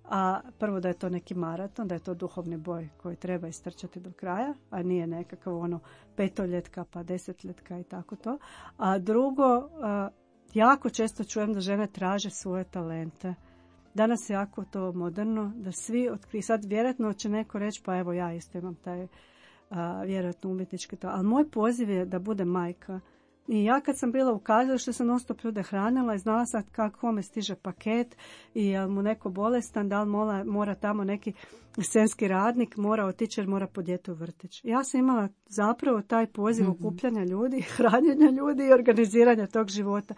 A prvo da je to neki maraton, da je to duhovni boj koji treba istrčati do kraja, a nije nekakav petoljetka pa desetljetka i tako to. A drugo, jako često čujem da žene traže svoje talente. Danas je jako to moderno, da svi otkriju. Sad vjerojatno će neko reći, pa evo ja isto imam taj vjerojatno umjetnički to. Ali moj poziv je da bude majka. I ja kad sam bila u kazalištu, sam non stop ljude hranila i znala sam kako me stiže paket i jel mu neko bolestan, da li mora tamo neki scenski radnik, mora otići jer mora po dijete u vrtić. Ja sam imala zapravo taj poziv okupljanja ljudi, hranjenja ljudi i organiziranja tog života.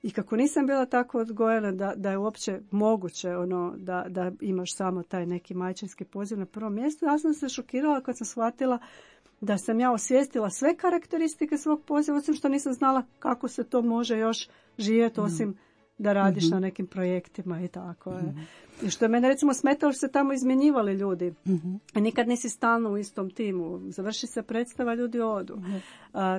I kako nisam bila tako odgojena da je uopće moguće da imaš samo taj neki majčinski poziv na prvom mjestu, ja sam se šokirala kad sam shvatila da sam ja osvijestila sve karakteristike svog poziva, osim što nisam znala kako se to može još živjeti, osim da radiš na nekim projektima i tako. I što je mene recimo smetalo što se tamo izmjenjivali ljudi. I nikad nisi stalno u istom timu. Završi se predstava, ljudi odu.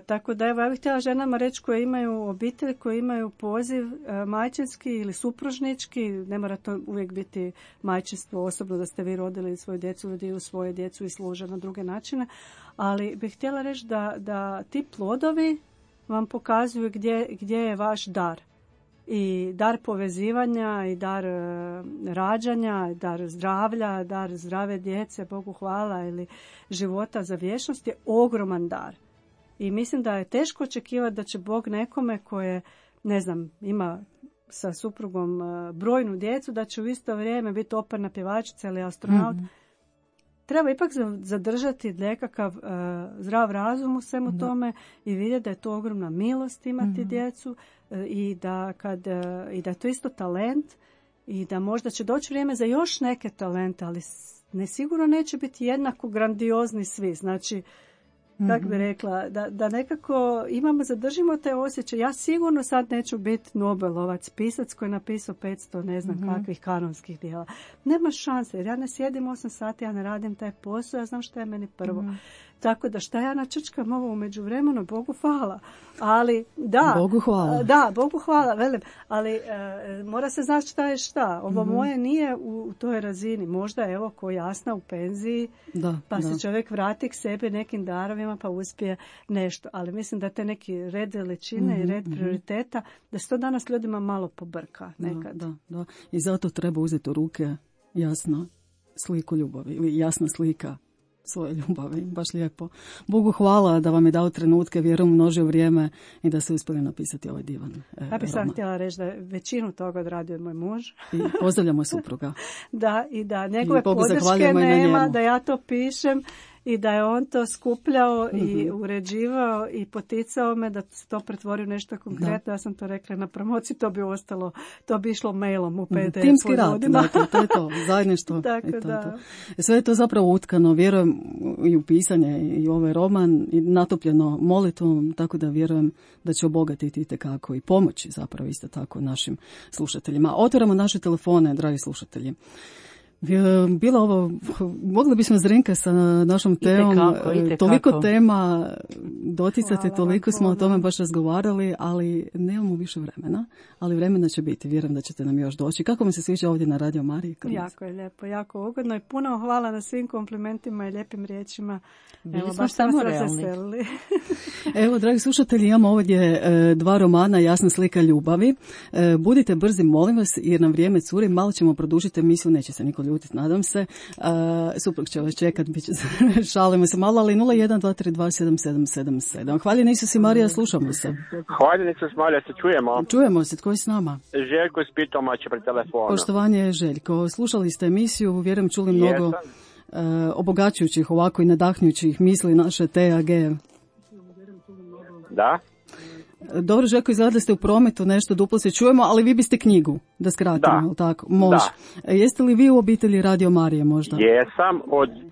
Tako da evo, ja bih htjela ženama reći koje imaju obitelj, koje imaju poziv majčinski ili supružnički, ne mora to uvijek biti majčinstvo osobno da ste vi rodili svoju djecu, ljudi u svoje djecu i služe na druge načine, ali bih htjela reći da ti plodovi vam pokazuju gdje je vaš dar. i dar povezivanja i dar rađanja, dar zdravlja, dar zdrave djece, Bogu hvala, ili života za vječnost je ogroman dar. I mislim da je teško očekivati da će Bog nekome koje, ne znam, ima sa suprugom brojnu djecu, da će u isto vrijeme biti operna pjevačica ili astronaut. Treba ipak zadržati nekakav zdrav razum u svemu tome i vidjeti da je to ogromna milost imati djecu i da je to isto talent i da možda će doći vrijeme za još neke talente, ali nesigurno neće biti jednako grandiozni svi. Znači, kako bi rekla, da nekako zadržimo te osjećaje. Ja sigurno sad neću biti Nobelovac, pisac koji je napisao 500 ne znam kakvih kanonskih dijela. Nema šanse, jer ja ne sjedim 8 sati, ja ne radim taj posao, ja znam šta je meni prvo. Tako da šta ja načrčkam ovo u međuvremenu, Bogu hvala. Ali da, Bogu hvala. Da, Bogu hvala, velim. Ali mora se znati šta je šta. Ovo moje nije u toj razini. Možda evo ko Jasna u penziji, se čovjek vrati k sebi nekim darovima pa uspije nešto. Ali mislim da te neki red veličine i red prioriteta, da se to danas ljudima malo pobrka nekad. Da. I zato treba uzeti u ruke jasno sliku ljubavi ili jasna slika svoje ljubavi, baš lijepo. Bogu hvala da vam je dao trenutke, vjerujem množio vrijeme i da ste uspjeli napisati ovaj divan Ja bih sam htjela reći da je većinu toga odradio moj muž. I pozdravljamo supruga. I da njegove podrške nema, da ja to pišem i da je on to skupljao i uređivao i poticao me da se to pretvori u nešto konkretno. Ja sam to rekla na promociji, to bi ostalo, to bi išlo mailom u PDF. Timski rad, to je to, zajedništvo. To. Sve je to zapravo utkano, vjerujem i u pisanje i ovaj roman i natopljeno molitvom, tako da vjerujem da će obogatiti itekako i pomoći zapravo isto tako našim slušateljima. Otvaramo naše telefone, dragi slušatelji. Bila ovo, mogli bismo Zrinka sa našom temom, toliko tema doticati, toliko smo o tome baš razgovarali, ali nemamo više vremena, ali vremena će biti, vjerujem da ćete nam još doći. Kako mi se sviđa ovdje na Radio Mariji? Jako je lijepo, jako ugodno i puno hvala na svim komplimentima i lijepim riječima. Bili smo samo realni. Evo, dragi slušatelji, imamo ovdje dva romana, Jasna slika ljubavi. Budite brzi, molim vas, jer nam vrijeme curi, malo ćemo produžiti emisiju, neće se niko ljutiti, nadam se. Suprug će vas čekat, šalimo se malo, ali 0123277777. Hvaljen Isus i Marija, slušamo se. Hvaljen Isus i Marija, se čujemo. Čujemo se, tko je s nama? Željko iz Pitomače pri telefonu. Poštovanje Željko, slušali ste emisiju, vjerujem čuli mnogo obogaćujućih ovako i nadahnjućih misli naše TAG. Da. Dobro, Željko, izgleda ste u prometu, nešto duplo se čujemo, ali vi biste knjigu, da skratimo, tako? Može. Da. Jeste li vi u obitelji Radio Marije možda? Jesam,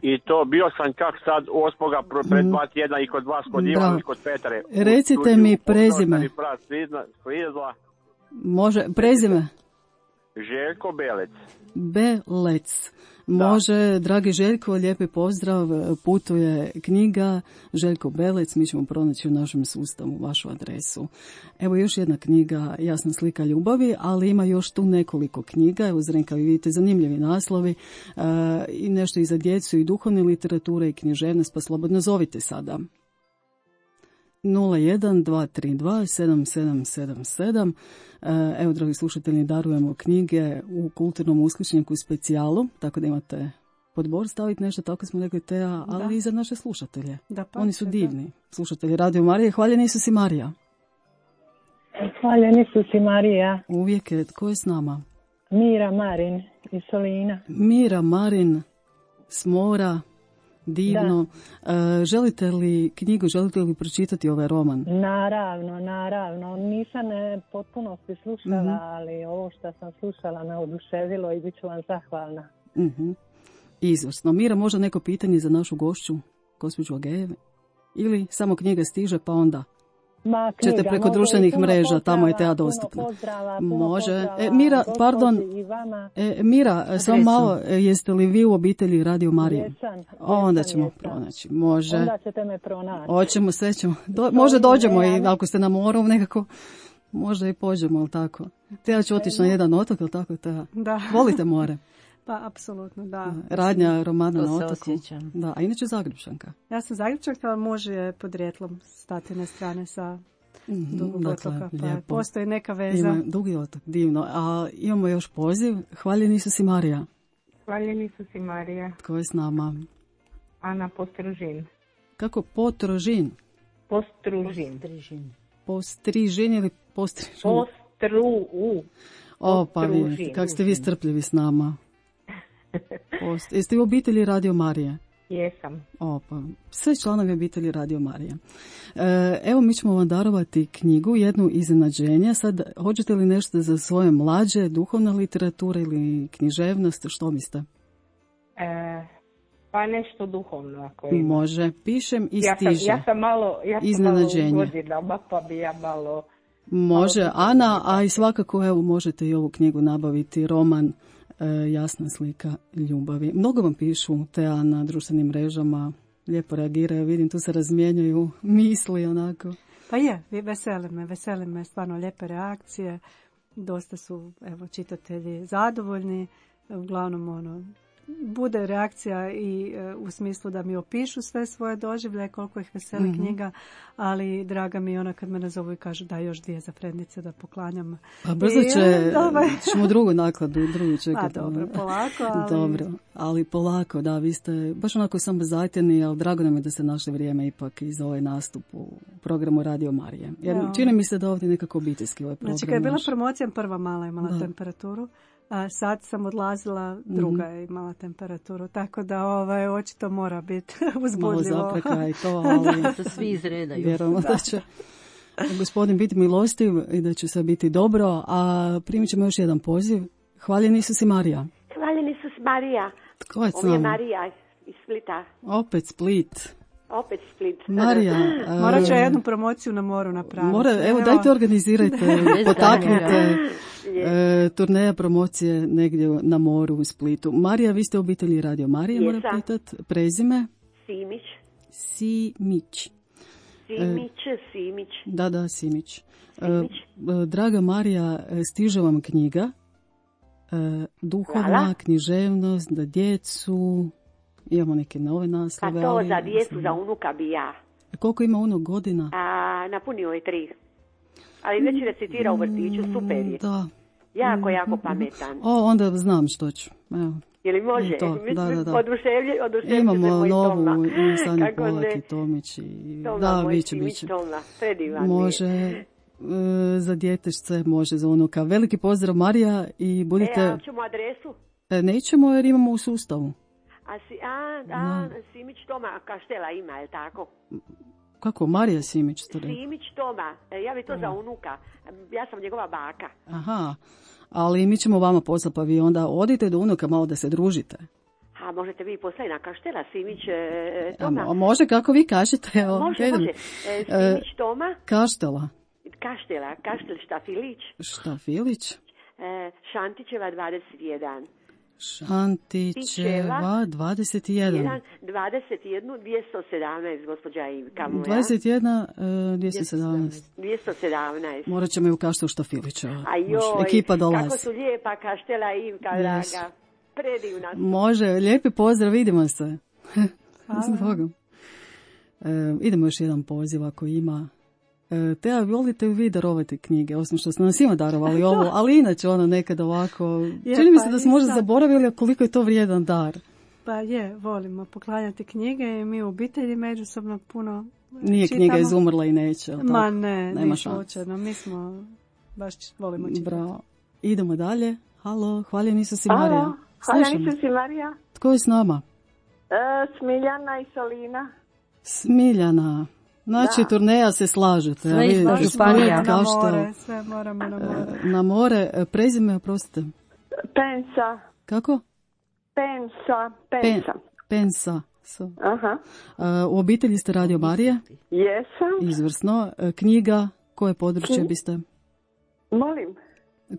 i to bio sam kak sad 8. pred 2 tjedna i kod vas, kod Ivana i kod Petre. Recite mi prezime. Može, prezime? Željko Belec. Belec. Može, dragi Željko, lijepi pozdrav, putuje knjiga Željko Belec, mi ćemo pronaći u našem sustavu vašu adresu. Evo još jedna knjiga, Jasna slika ljubavi, ali ima još tu nekoliko knjiga, evo Zrenka, vi vidite zanimljivi naslovi i nešto i za djecu i duhovne literature i književnost, pa slobodno zovite sada. 01-232-7777. Evo, dragi slušatelji, darujemo knjige u kulturnom uskličniku specijalu, tako da imate podbor staviti nešto, tako smo rekli Teja, ali i za naše slušatelje. Oni su divni. Slušatelji Radio Marije, hvaljen Isus i Marija. Hvaljen Isus i Marija. Uvijek je, tko je s nama? Mira Marin iz Solina. Mira Marin s mora. Divno. Želite li knjigu, želite li pročitati ovaj roman? Naravno. Nisam potpunosti slušala, ali ovo što sam slušala me oduševilo i bit ću vam zahvalna. Izvrsno. Mira, možda neko pitanje za našu gošću, gospođu Agejeve? Ili samo knjiga stiže pa onda? Ćete preko društvenih mreža, tamo je Teja dostupna. Može. Mira, pardon. Mira, samo malo, jeste li vi u obitelji Radio Marije? Onda ćemo pronaći. Može. Onda ćete me pronaći. Hoćemo, sve ćemo. Možda dođemo i ako ste na moru nekako, možda i pođemo, ali tako. Teja će otići na jedan otok, ali tako, Teja? Da. Volite more? Pa, apsolutno, da. Radnja romana na otoku. Da, a inače Zagrepčanka. Ja sam Zagrepčanka, ali može podrijetlom stati na strane sa Dugog otoka, pa lijepo. postoji neka veza. Dugi otok, divno. A imamo još poziv. Hvaljeni Isus i Marija. Hvaljeni Isus i Marija. Tko je s nama? Ana Postružin. Kako? Potrožin? Postružin. Postrižin ili postrižin? Postru. Pa vidite, kako ste vi strpljivi s nama. Jeste u obitelji Radio Marije? Jesam. Pa sve članovi obitelji Radio Marije. Evo, mi ćemo vam darovati knjigu, jednu iznenađenje. Sad, hoćete li nešto za svoje mlađe, duhovna literatura ili književnost, što mislite? Pa nešto duhovno ako ima. Može, pišem i stiže. Ja sam malo u godinama, pa bi ja malo... Može, Ana, a i svakako evo možete i ovu knjigu nabaviti, roman Jasna slika ljubavi. Mnogo vam pišu Tea na društvenim mrežama, lijepo reagiraju, vidim tu se razmijenjaju misli onako. Pa je, vesele me stvarno lijepe reakcije, dosta su evo čitatelji zadovoljni, uglavnom bude reakcija i u smislu da mi opišu sve svoje doživljaje, koliko ih veseli knjiga, ali draga mi je ona kad me nazovu i kažu da još 2 za Frednice da poklanjam. Pa brzo ćemo drugu nakladu, drugu čekati. Dobro, polako. Dobro, ali polako, da, vi ste baš onako samo zajeteni, ali drago nam je da ste našli vrijeme ipak i za ovaj nastup u programu Radio Marije. Jer čini mi se da ovdje nekako obiteljski ovaj program. Znači kad je bila promocija, prva mala imala temperaturu. A sad sam odlazila, druga je imala temperaturu, tako da očito mora biti uzbudljivo. Malo zapreka i to, ali da svi izredaju. Vjerujemo da će gospodin biti milostiv i da će sve biti dobro, a primit ćemo još jedan poziv. Hvaljeni Isus i Marija. Hvaljeni Isus Marija. Tko je s nama? Ovo je Marija iz Splita. Opet Split. Marija. Morat će jednu promociju na moru napraviti. Evo, dajte organizirajte, potaknite turneja promocije negdje na moru u Splitu. Marija, vi ste u obitelji Radio Marije, moram pitati. Prezime? Simić. Da, Simić. Draga Marija, stiže vam knjiga duhovna, književnost, za djecu. Imamo neke nove naslove. Pa to za djecu, za unuka bi ja. Koliko ima unuk godina? Napunio je 3. Ali već recitira u vrtiću, super je. Da. Jako pametan. Onda znam što ću. Evo. Je li može? Da. Oduševljen imamo novu Sanja Polak i Tomić. Da, biće. Može za djetešce, može za unuka. Veliki pozdrav, Marija, i budite... A ćemo adresu? Nećemo jer imamo u sustavu. Simić Toma Kaštela ima, je li tako? Kako? Marija Simić? Simić Toma, ja bi to za unuka. Ja sam njegova baka. Aha, ali mi ćemo vama poslati, pa vi onda odite do unuka malo da se družite. Možete vi poslati na Kaštela, Simić Toma. Može, kako vi kažete. Može. Simić Toma. Kaštela, Kaštel Štafilić. Štafilić. Šantićeva 21. Šantićeva 21. 217, gospođa Ivka moja. 21, 217. 217. Morat ćemo i u Kaštelu Štafilića. Ekipa dolazi. Kako su lijepa Kaštela Ivka, draga. Predivna. Može, lijepi pozdrav, vidimo se. Idemo još jedan poziv ako ima. Tea, volite vi darovati knjige, osim što ste nas svima darovali ovo, ali inače nekad ovako, čini mi se da smo možda zaboravili koliko je to vrijedan dar. Pa volimo poklanjati knjige i mi u obitelji međusobno puno Nije čitamo. Knjiga izumrla i neće. Ma ne, nema slučajno, mi smo baš volimo čitati. Bravo. Idemo dalje. Halo, hvaljeni Isus i Marija. Hvaljeni Isus i Marija. Tko je s nama? Smiljana i Solina. Smiljana. Znači, turneja se slažete. Sve izlažu Španija. Sve moramo na more. Na more. Prezime, oprostite. Pensa. Kako? Pensa. Aha. U obitelji ste Radio Marije? Jesam. Izvrsno. Knjiga, koje područje biste? Molim.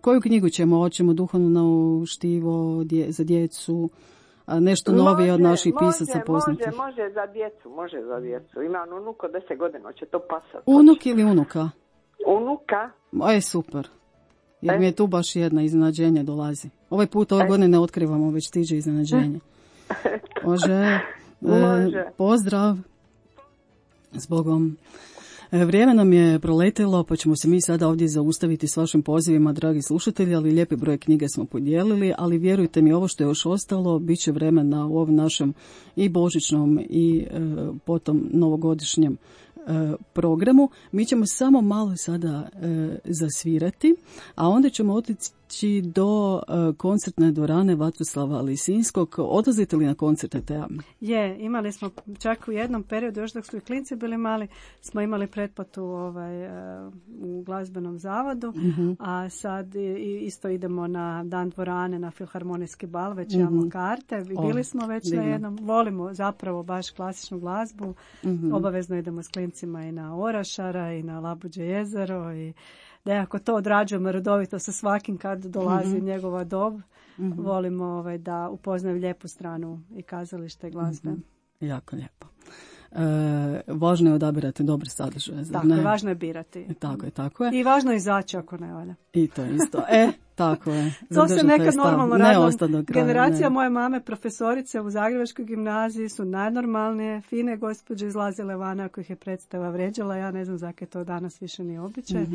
Koju knjigu ćemo? Hoćemo duhovno štivo za djecu? Nešto novije od naših pisaca poznatih. Može za djecu. Imam unuk od 10 godina, hoće to pasati. Unuk ili unuka? Unuka. Super. Jer mi je tu baš jedna iznenađenje dolazi. Ovaj put ove godine ne otkrivamo, već stiže iznenađenje. Može. Pozdrav. Zbogom. Vrijeme nam je proletelo, pa ćemo se mi sada ovdje zaustaviti s vašim pozivima, dragi slušatelji, ali lijepi broj knjige smo podijelili, ali vjerujte mi, ovo što je još ostalo, bit će vremena u ovom našem i božićnom i potom novogodišnjem programu. Mi ćemo samo malo sada zasvirati, a onda ćemo otići do koncertne dvorane Vatroslava Lisinskog. Odlazite li na koncerte, Teja? Imali smo čak u jednom periodu, još dok su i klinci bili mali, smo imali pretplatu u glazbenom zavodu, a sad isto idemo na Dan dvorane, na filharmonijski bal, već imamo karte. Bili smo već na jednom, volimo zapravo baš klasičnu glazbu, obavezno idemo s klincima i na Orašara i na Labuđe jezero i nekako to odrađujemo redovito sa svakim kad dolazi njegova dob. Volimo da upoznaju lijepu stranu i kazalište glazbe. Jako lijepo. Važno je odabirati dobre sadržaje. Tako je, važno je birati. Tako je. I važno je izaći ako ne valja. I to isto. Tako je. To se nekad normalno radilo. Generacija moje mame, profesorice u Zagrebačkoj gimnaziji su najnormalnije, fine gospođe izlazile van ako ih je predstava vrijeđala. Ja ne znam zakaj to danas više nije običaj,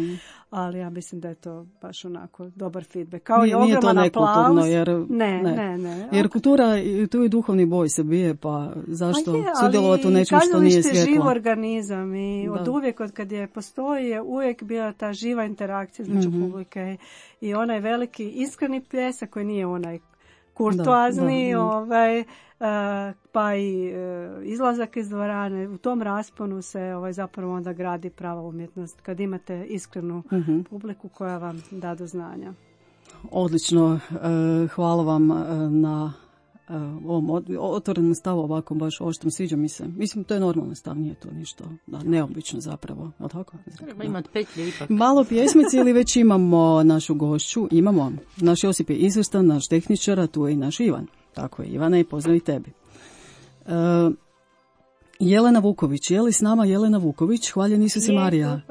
ali ja mislim da je to baš onako dobar feedback. Kao i ogroman aplauz. Ne. Jer kultura, tu i duhovni boj se bije, pa zašto sudjelovati u nečem što nije svjetlo? Živ organizam i od uvijek, od kad je postoji, je uvijek bila ta živa interakcija između publike i onaj veliki iskreni pljesak koji nije onaj kurtoazni, pa i izlazak iz dvorane. U tom rasponu se zapravo onda gradi prava umjetnost kad imate iskrenu publiku koja vam da do znanja. Odlično, hvala vam na ovom otvorenom stavu, ovako baš oštrom, sviđa mi se. Mislim, to je normalan stav, nije to ništa neobično zapravo. Tako? Treba imati petlje ipak. Malo pjesmici ili već imamo našu gošću? Imamo. Naš Josip je izvrstan, naš tehničar, a tu je i naš Ivan. Tako je, Ivana, i pozdrav i tebi. Jelena Vuković, je li s nama Jelena Vuković? Hvaljen Isus i Marija.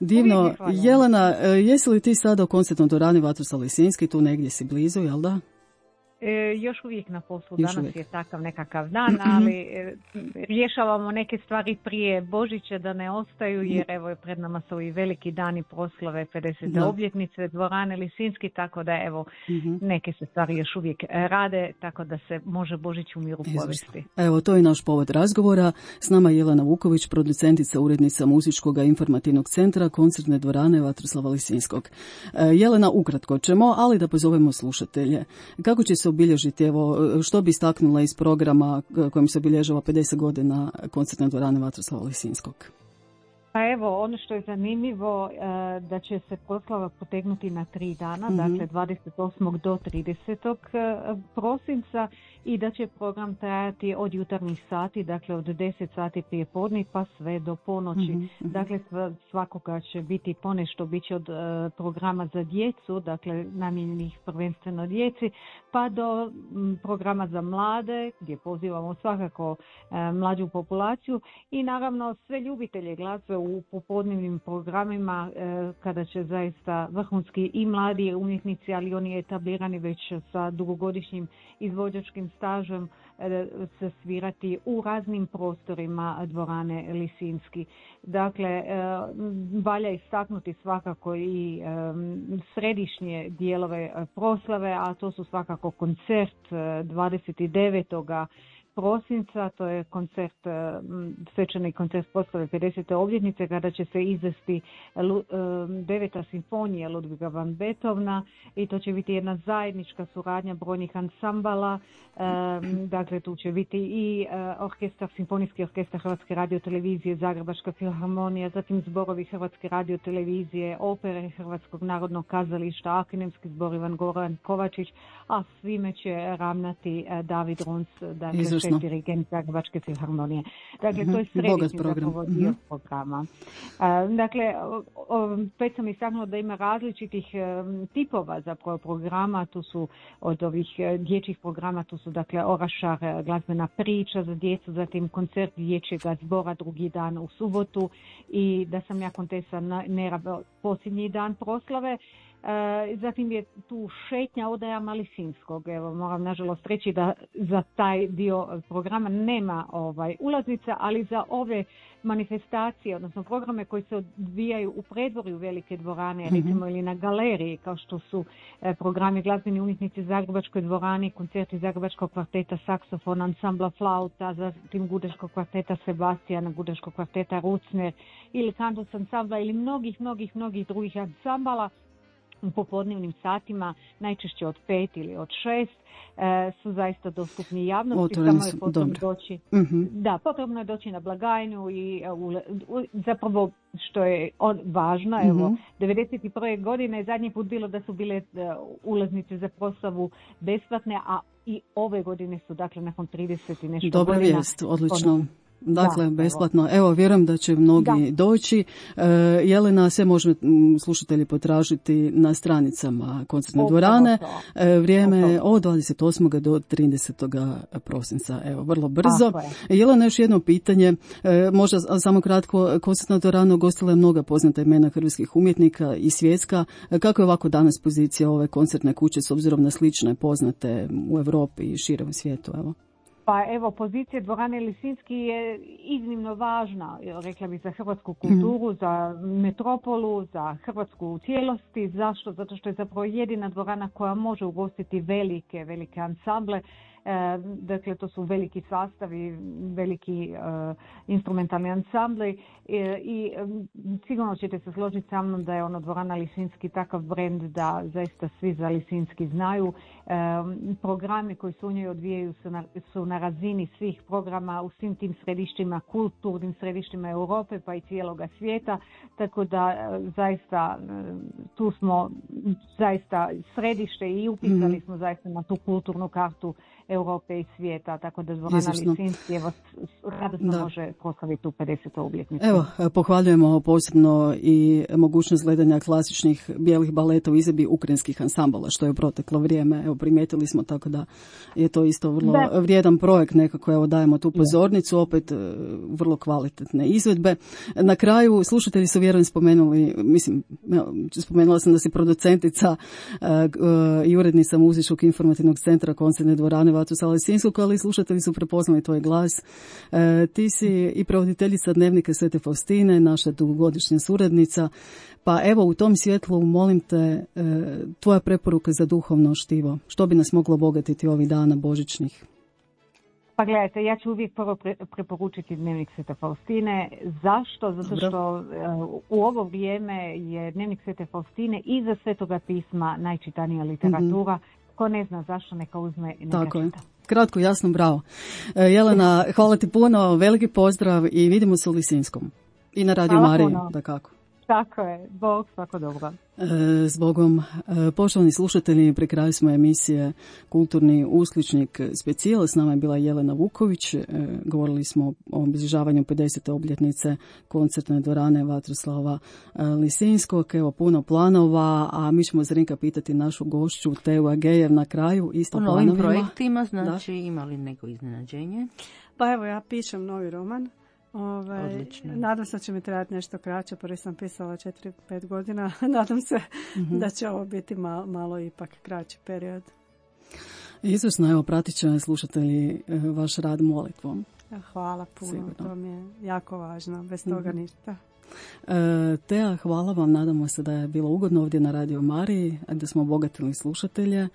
Divno. Jelena, jesi li ti sada u koncertnoj dvorani Vatroslav Lisinski, tu negdje si blizu, jel da? Još uvijek na poslu, danas je takav nekakav dan, ali rješavamo neke stvari prije Božića da ne ostaju, jer evo pred nama su i veliki dani proslave 50. obljetnice dvorane Lisinski, tako da evo neke se stvari još uvijek rade, tako da se može Božić u miru povesti. Evo, to je naš povod razgovora. S nama je Jelena Vuković, producentica, urednica muzičkog informativnog centra koncertne dvorane Vatroslava Lisinskog. Jelena, ukratko ćemo, ali da pozovemo slušatelje. Kako će se obilježiti, evo, što bi istaknula iz programa kojim se obilježava 50 godina koncertne dvorane Vatroslava Lisinskog? Pa evo, ono što je zanimljivo, da će se proslava potegnuti na 3 dana, dakle 28. do 30. prosinca i da će program trajati od jutarnjih sati, dakle od 10 sati prije podne pa sve do ponoći. Dakle, svakoga će biti ponešto, bit će od programa za djecu, dakle namijenjenih prvenstveno djeci, pa do programa za mlade, gdje pozivamo svakako mlađu populaciju i naravno sve ljubitelje glazbe u popodnevnim programima kada će zaista vrhunski i mladi umjetnici, ali oni etablirani već sa dugogodišnjim izvođačkim stažem se svirati u raznim prostorima dvorane Lisinski. Dakle, valja istaknuti svakako i središnje dijelove proslave, a to su svakako koncert 29. prosinca, to je koncert, svečani koncert proslave 50. obljetnice kada će se izvesti 9. simfonija Ludviga van Beethovena i to će biti jedna zajednička suradnja brojnih ansambala. Dakle, tu će biti i orkestar, simfonijski orkestar Hrvatske radiotelevizije, Zagrebačka filharmonija, zatim zborovi Hrvatske radiotelevizije, opere Hrvatskog narodnog kazališta, akademski zbor Ivan Goran Kovačić, a svime će ravnati David Runs, dakle dirigent Zagrebačke filharmonije. Dakle, to je središnji zapravo dio programa. Dakle, već sam istaknula da ima različitih tipova zapravo programa. Tu su od ovih dječjih programa, tu su dakle Orašar, glazbena priča za djecu, zatim koncert dječjega zbora drugi dan u subotu i da sam ja kontesa Nera posljednji dan proslave. Zatim je tu šetnja odajama Lisinskog. Evo, moram nažalost reći da za taj dio programa nema ulaznica, ali za ove manifestacije, odnosno programe koji se odvijaju u predvorju velike dvorane, recimo ili na galeriji, kao što su programi glazbeni umjetnici Zagrebačkoj dvorani, koncerti Zagrebačkog kvarteta saksofona, ansambla flauta, zatim Gudeškog kvarteta Sebastijana, Gudeškog kvarteta Rucner ili Kantus ansambla ili mnogih drugih ansambala. U popodnevnim satima, najčešće od 5 ili od 6, su zaista dostupni javnosti. Samo je potrebno doći. Da, potrebno je doći na blagajnu i zapravo što je važno, evo, 91. godine zadnji put bilo da su bile ulaznice za proslavu besplatne, a i ove godine su, dakle, nakon 30 i nešto godina. Dobra vijest, odlično. Dakle, besplatno. Evo, vjerujem da će mnogi doći. Jelena, sve može slušatelji potražiti na stranicama koncertne dvorane. Vrijeme je od 28. do 30. prosinca. Evo, vrlo brzo. Jelena, još jedno pitanje. Možda samo kratko, koncertna dvorana gostila je mnoga poznata imena hrvatskih umjetnika i svjetska. Kako je ovako danas pozicija ove koncertne kuće s obzirom na slične poznate u Europi i širem svijetu? Evo. Pa evo, pozicija dvorane Lisinski je iznimno važna, rekla bih, za hrvatsku kulturu, za metropolu, za Hrvatsku u cijelosti. Zašto? Zato što je zapravo jedina dvorana koja može ugostiti velike ansamble. Dakle, to su veliki sastavi, veliki instrumentalni ansambli i sigurno ćete se složiti sa mnom da je dvorana Lisinski takav brend da zaista svi za Lisinski znaju. Programi koji se u njoj odvijaju su na razini svih programa u svim tim središtima, kulturnim središtima Europe pa i cijeloga svijeta, tako da zaista tu smo zaista središte i upisali smo zaista na tu kulturnu kartu Europe i svijeta, tako da dvorana Lisinski radosno može proslaviti tu 50. obljetnicu. Evo, pohvaljujemo posebno i mogućnost gledanja klasičnih bijelih baleta u izvedbi ukrajinskih ansambala, što je u proteklo vrijeme, evo, primijetili smo, tako da je to isto vrlo vrijedan projekt, nekako, evo, dajemo tu pozornicu, opet vrlo kvalitetne izvedbe. Na kraju, slušatelji su vjerujem spomenuli, spomenula sam da si producentica i urednica Muzičkog informativnog centra koncertne dvorane Vatroslava Lisinskog, ali slušatelji su prepoznali tvoj glas. Ti si i prevoditeljica Dnevnika Svete Faustine, naša dugogodišnja suradnica, pa evo, u tom svjetlu molim te tvoja preporuka za duhovno štivo. Što bi nas moglo obogatiti ovih dana božićnih? Pa gledajte, ja ću uvijek prvo preporučiti Dnevnik Svete Faustine. Zašto? Zato što u ovo vrijeme je Dnevnik Svete Faustine iza Svetoga pisma najčitanija literatura. Ko ne zna zašto, neka uzme i neka čita. Kratko, jasno, bravo. Jelena, hvala ti puno, veliki pozdrav i vidimo se u Lisinskom. I na Radio Mariji, da kako. Tako je, Bog, svako dobro. Zbogom, poštovani slušatelji, pri kraju smo emisije Kulturni uskličnik specijal. S nama je bila Jelena Vuković. Govorili smo o obilježavanju 50. obljetnice koncertne dvorane Vatroslava Lisinskog. Evo, puno planova, a mi ćemo Zrinka pitati našu gošću Teu Agejev na kraju. Isto planovima. U novim projektima, znači, ima li neko iznenađenje? Pa evo, ja pišem novi roman. Nadam se da će mi trebati nešto kraće, prvi sam pisala 4-5 godina, nadam se da će ovo biti malo ipak kraći period. Izvrsno, evo, pratit će slušatelji vaš rad molitvom. Hvala puno, sigurno. To mi je jako važno, bez toga ništa. Tea, hvala vam, nadamo se da je bilo ugodno ovdje na Radio Mariji, da smo obogatili slušatelje.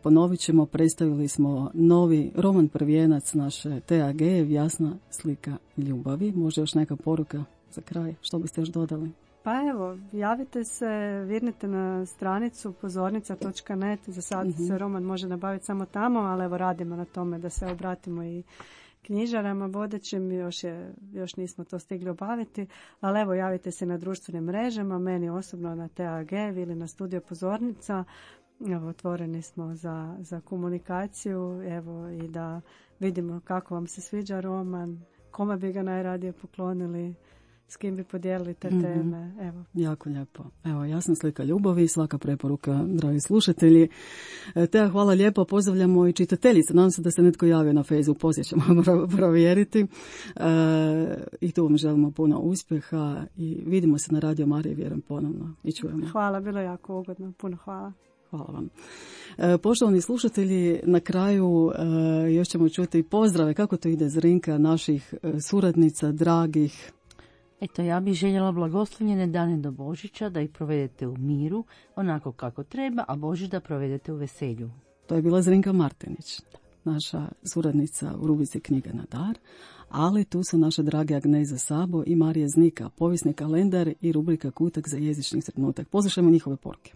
Ponovit ćemo, predstavili smo novi roman prvijenac naše Tea Agejev, Jasna slika ljubavi. Može još neka poruka za kraj, što biste još dodali? Pa evo, javite se, vidite na stranicu pozornica.net, za sad se roman može nabaviti samo tamo, ali evo radimo na tome da se obratimo i knjižarama vodećim, još nismo to stigli obaviti, ali evo, javite se na društvenim mrežama, meni osobno na TAG ili na Studio Pozornica. Evo, otvoreni smo za komunikaciju, evo, i da vidimo kako vam se sviđa roman, kome bi ga najradije poklonili s kim bi podijelili te teme. Evo. Jako lijepo. Evo, jasna slika ljubavi, svaka preporuka, dragi slušatelji. Teja, hvala lijepo, pozdravljamo i čitateljice. Nadam se da se netko javio na Facebooku, poslije ćemo provjeriti. I tu vam želimo puno uspjeha i vidimo se na Radio Mariji, vjerujem, ponovno i čujemo. Hvala, bilo je jako ugodno. Puno hvala. Hvala vam. Poštovani slušatelji, na kraju još ćemo čuti pozdrave. Kako to ide, Zrinka, naših suradnica, dragih? Eto, ja bih željela blagoslovljene dane do Božića, da ih provedete u miru, onako kako treba, a Božić da provedete u veselju. To je bila Zrinka Martinić, naša suradnica u rubrici Knjiga na dar, ali tu su naše drage Agneza Sabo i Marija Znika, povijesni kalendar i rubrika Kutak za jezični trenutak. Poslušajmo njihove poruke.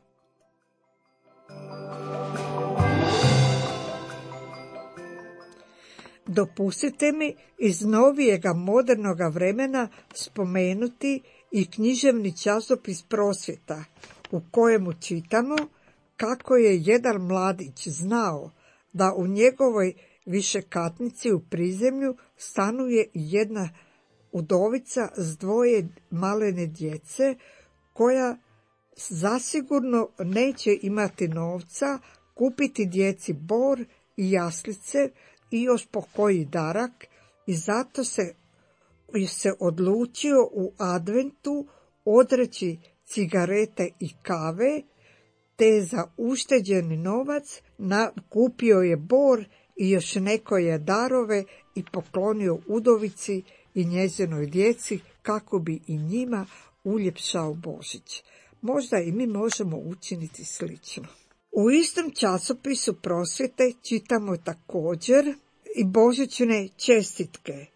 Dopustite mi iz novijega modernoga vremena spomenuti i književni časopis Prosvjeta, u kojemu čitamo kako je jedan mladić znao da u njegovoj višekatnici u prizemlju stanuje jedna udovica s 2 malene djece, koja zasigurno neće imati novca kupiti djeci bor i jaslice i još po koji darak, i zato se odlučio u adventu odreći cigarete i kave, te za ušteđeni novac kupio je bor i još nekoje darove i poklonio udovici i njezinoj djeci kako bi i njima uljepšao Božić. Možda i mi možemo učiniti slično. U istom časopisu Prosvjete čitamo također i božićne čestitke.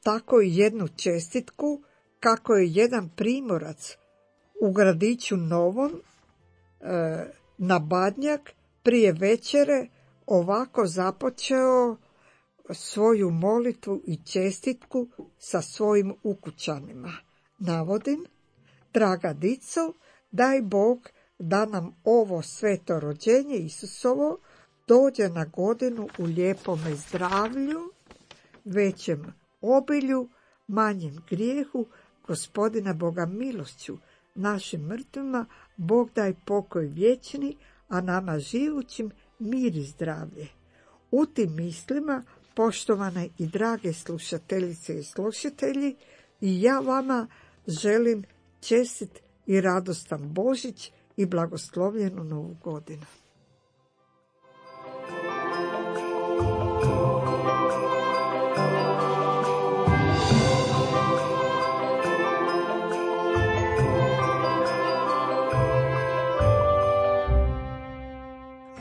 Tako i jednu čestitku kako je jedan primorac u gradiću Novom na Badnjak prije večere ovako započeo svoju molitvu i čestitku sa svojim ukućanima. Navodim: draga dico, daj Bog da nam ovo sveto rođenje Isusovo dođe na godinu u lijepome zdravlju, većem obilju, manjem grijehu, Gospodina Boga milošću, našim mrtvima Bog daj pokoj vječni, a nama živućim mir i zdravlje. U tim mislima, poštovane i drage slušateljice i slušatelji, i ja vama želim čestit i radostan Božić i blagoslovljenu Novu godinu.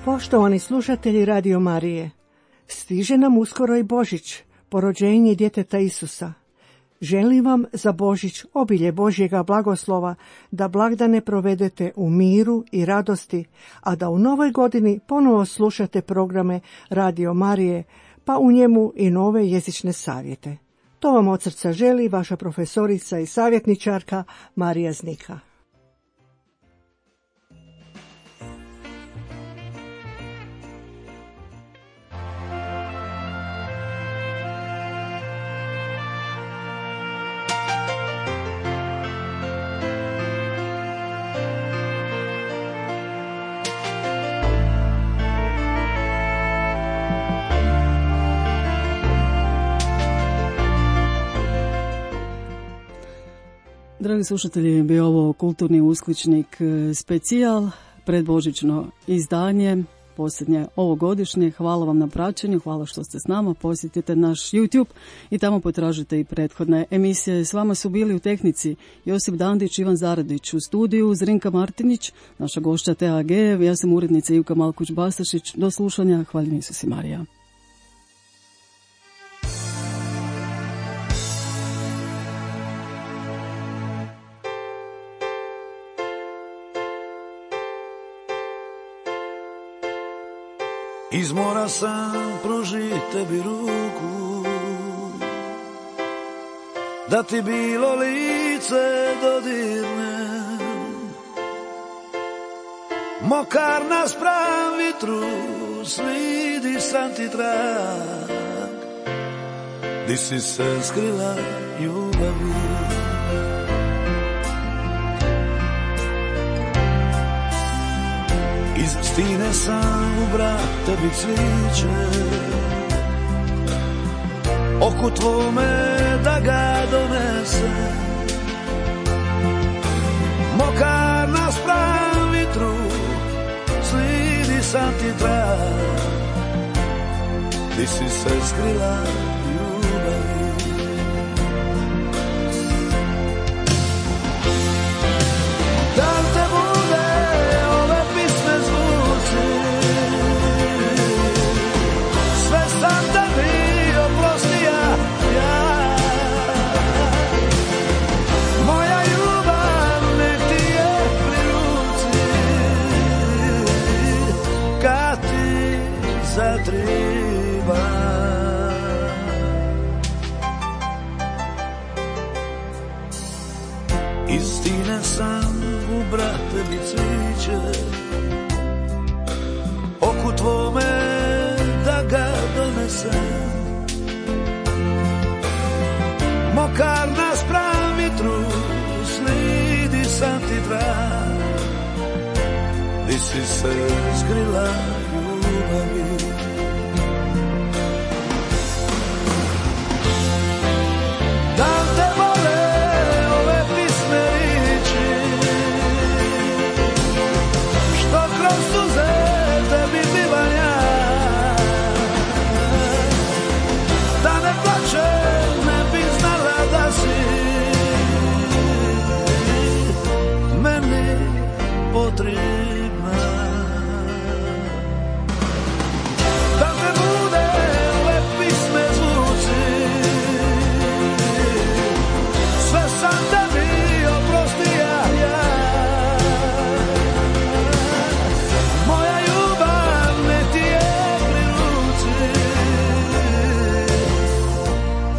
Poštovani slušatelji Radio Marije, stiže nam uskoro i Božić, porođenje djeteta Isusa. Želim vam za Božić obilje Božjega blagoslova, da blagdane provedete u miru i radosti, a da u novoj godini ponovo slušate programe Radio Marije, pa u njemu i nove jezične savjete. To vam od srca želi vaša profesorica i savjetničarka Marija Znika. Dragi slušatelji, bio ovo kulturni uskličnik specijal, predbožićno izdanje, posljednje ovogodišnje. Hvala vam na praćenju, hvala što ste s nama. Posjetite naš YouTube i tamo potražite i prethodne emisije. S vama su bili u tehnici Josip Dandić, Ivan Zaradić, u studiju Zrinka Martinić, naša gošća Teja Agejev, ja sam urednica Ivka Malkuć-Bastašić. Do slušanja, hvala Isus i Marija. Iz mora sam pružit tebi ruku, da ti bilo lice dodirne, mokar naspram vitru, slidi sam ti trag, di si se skrila ljubavi. Iz stine sam u brak tebi cviće, oku tvome da ga donese. Mokar naspram vitru, slidi sam ti trag, di si se skrila ljubavi. Da li te bude ove pisme zvuci, sve sam tebi oprostija ja. Moja ljubav nek ti je pri ruci, kad ti zatriba. Iz stine sam u brak tebi cviće, oku tvome da ga donesem. Mokar naspram vitru, slidi sam ti trag, di si se skrila ljubavi. Da li te vole ove pisme riječi, što kroz suze tebi bivam ja. Da ne plačem, ne bi znala da si meni potrebna. Da te bude ove pisme zvuci, sve sam tebi oprostija ja. Moja ljubav ne ti je pri ruci,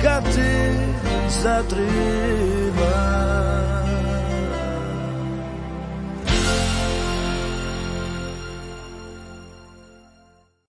kad ti zatriba.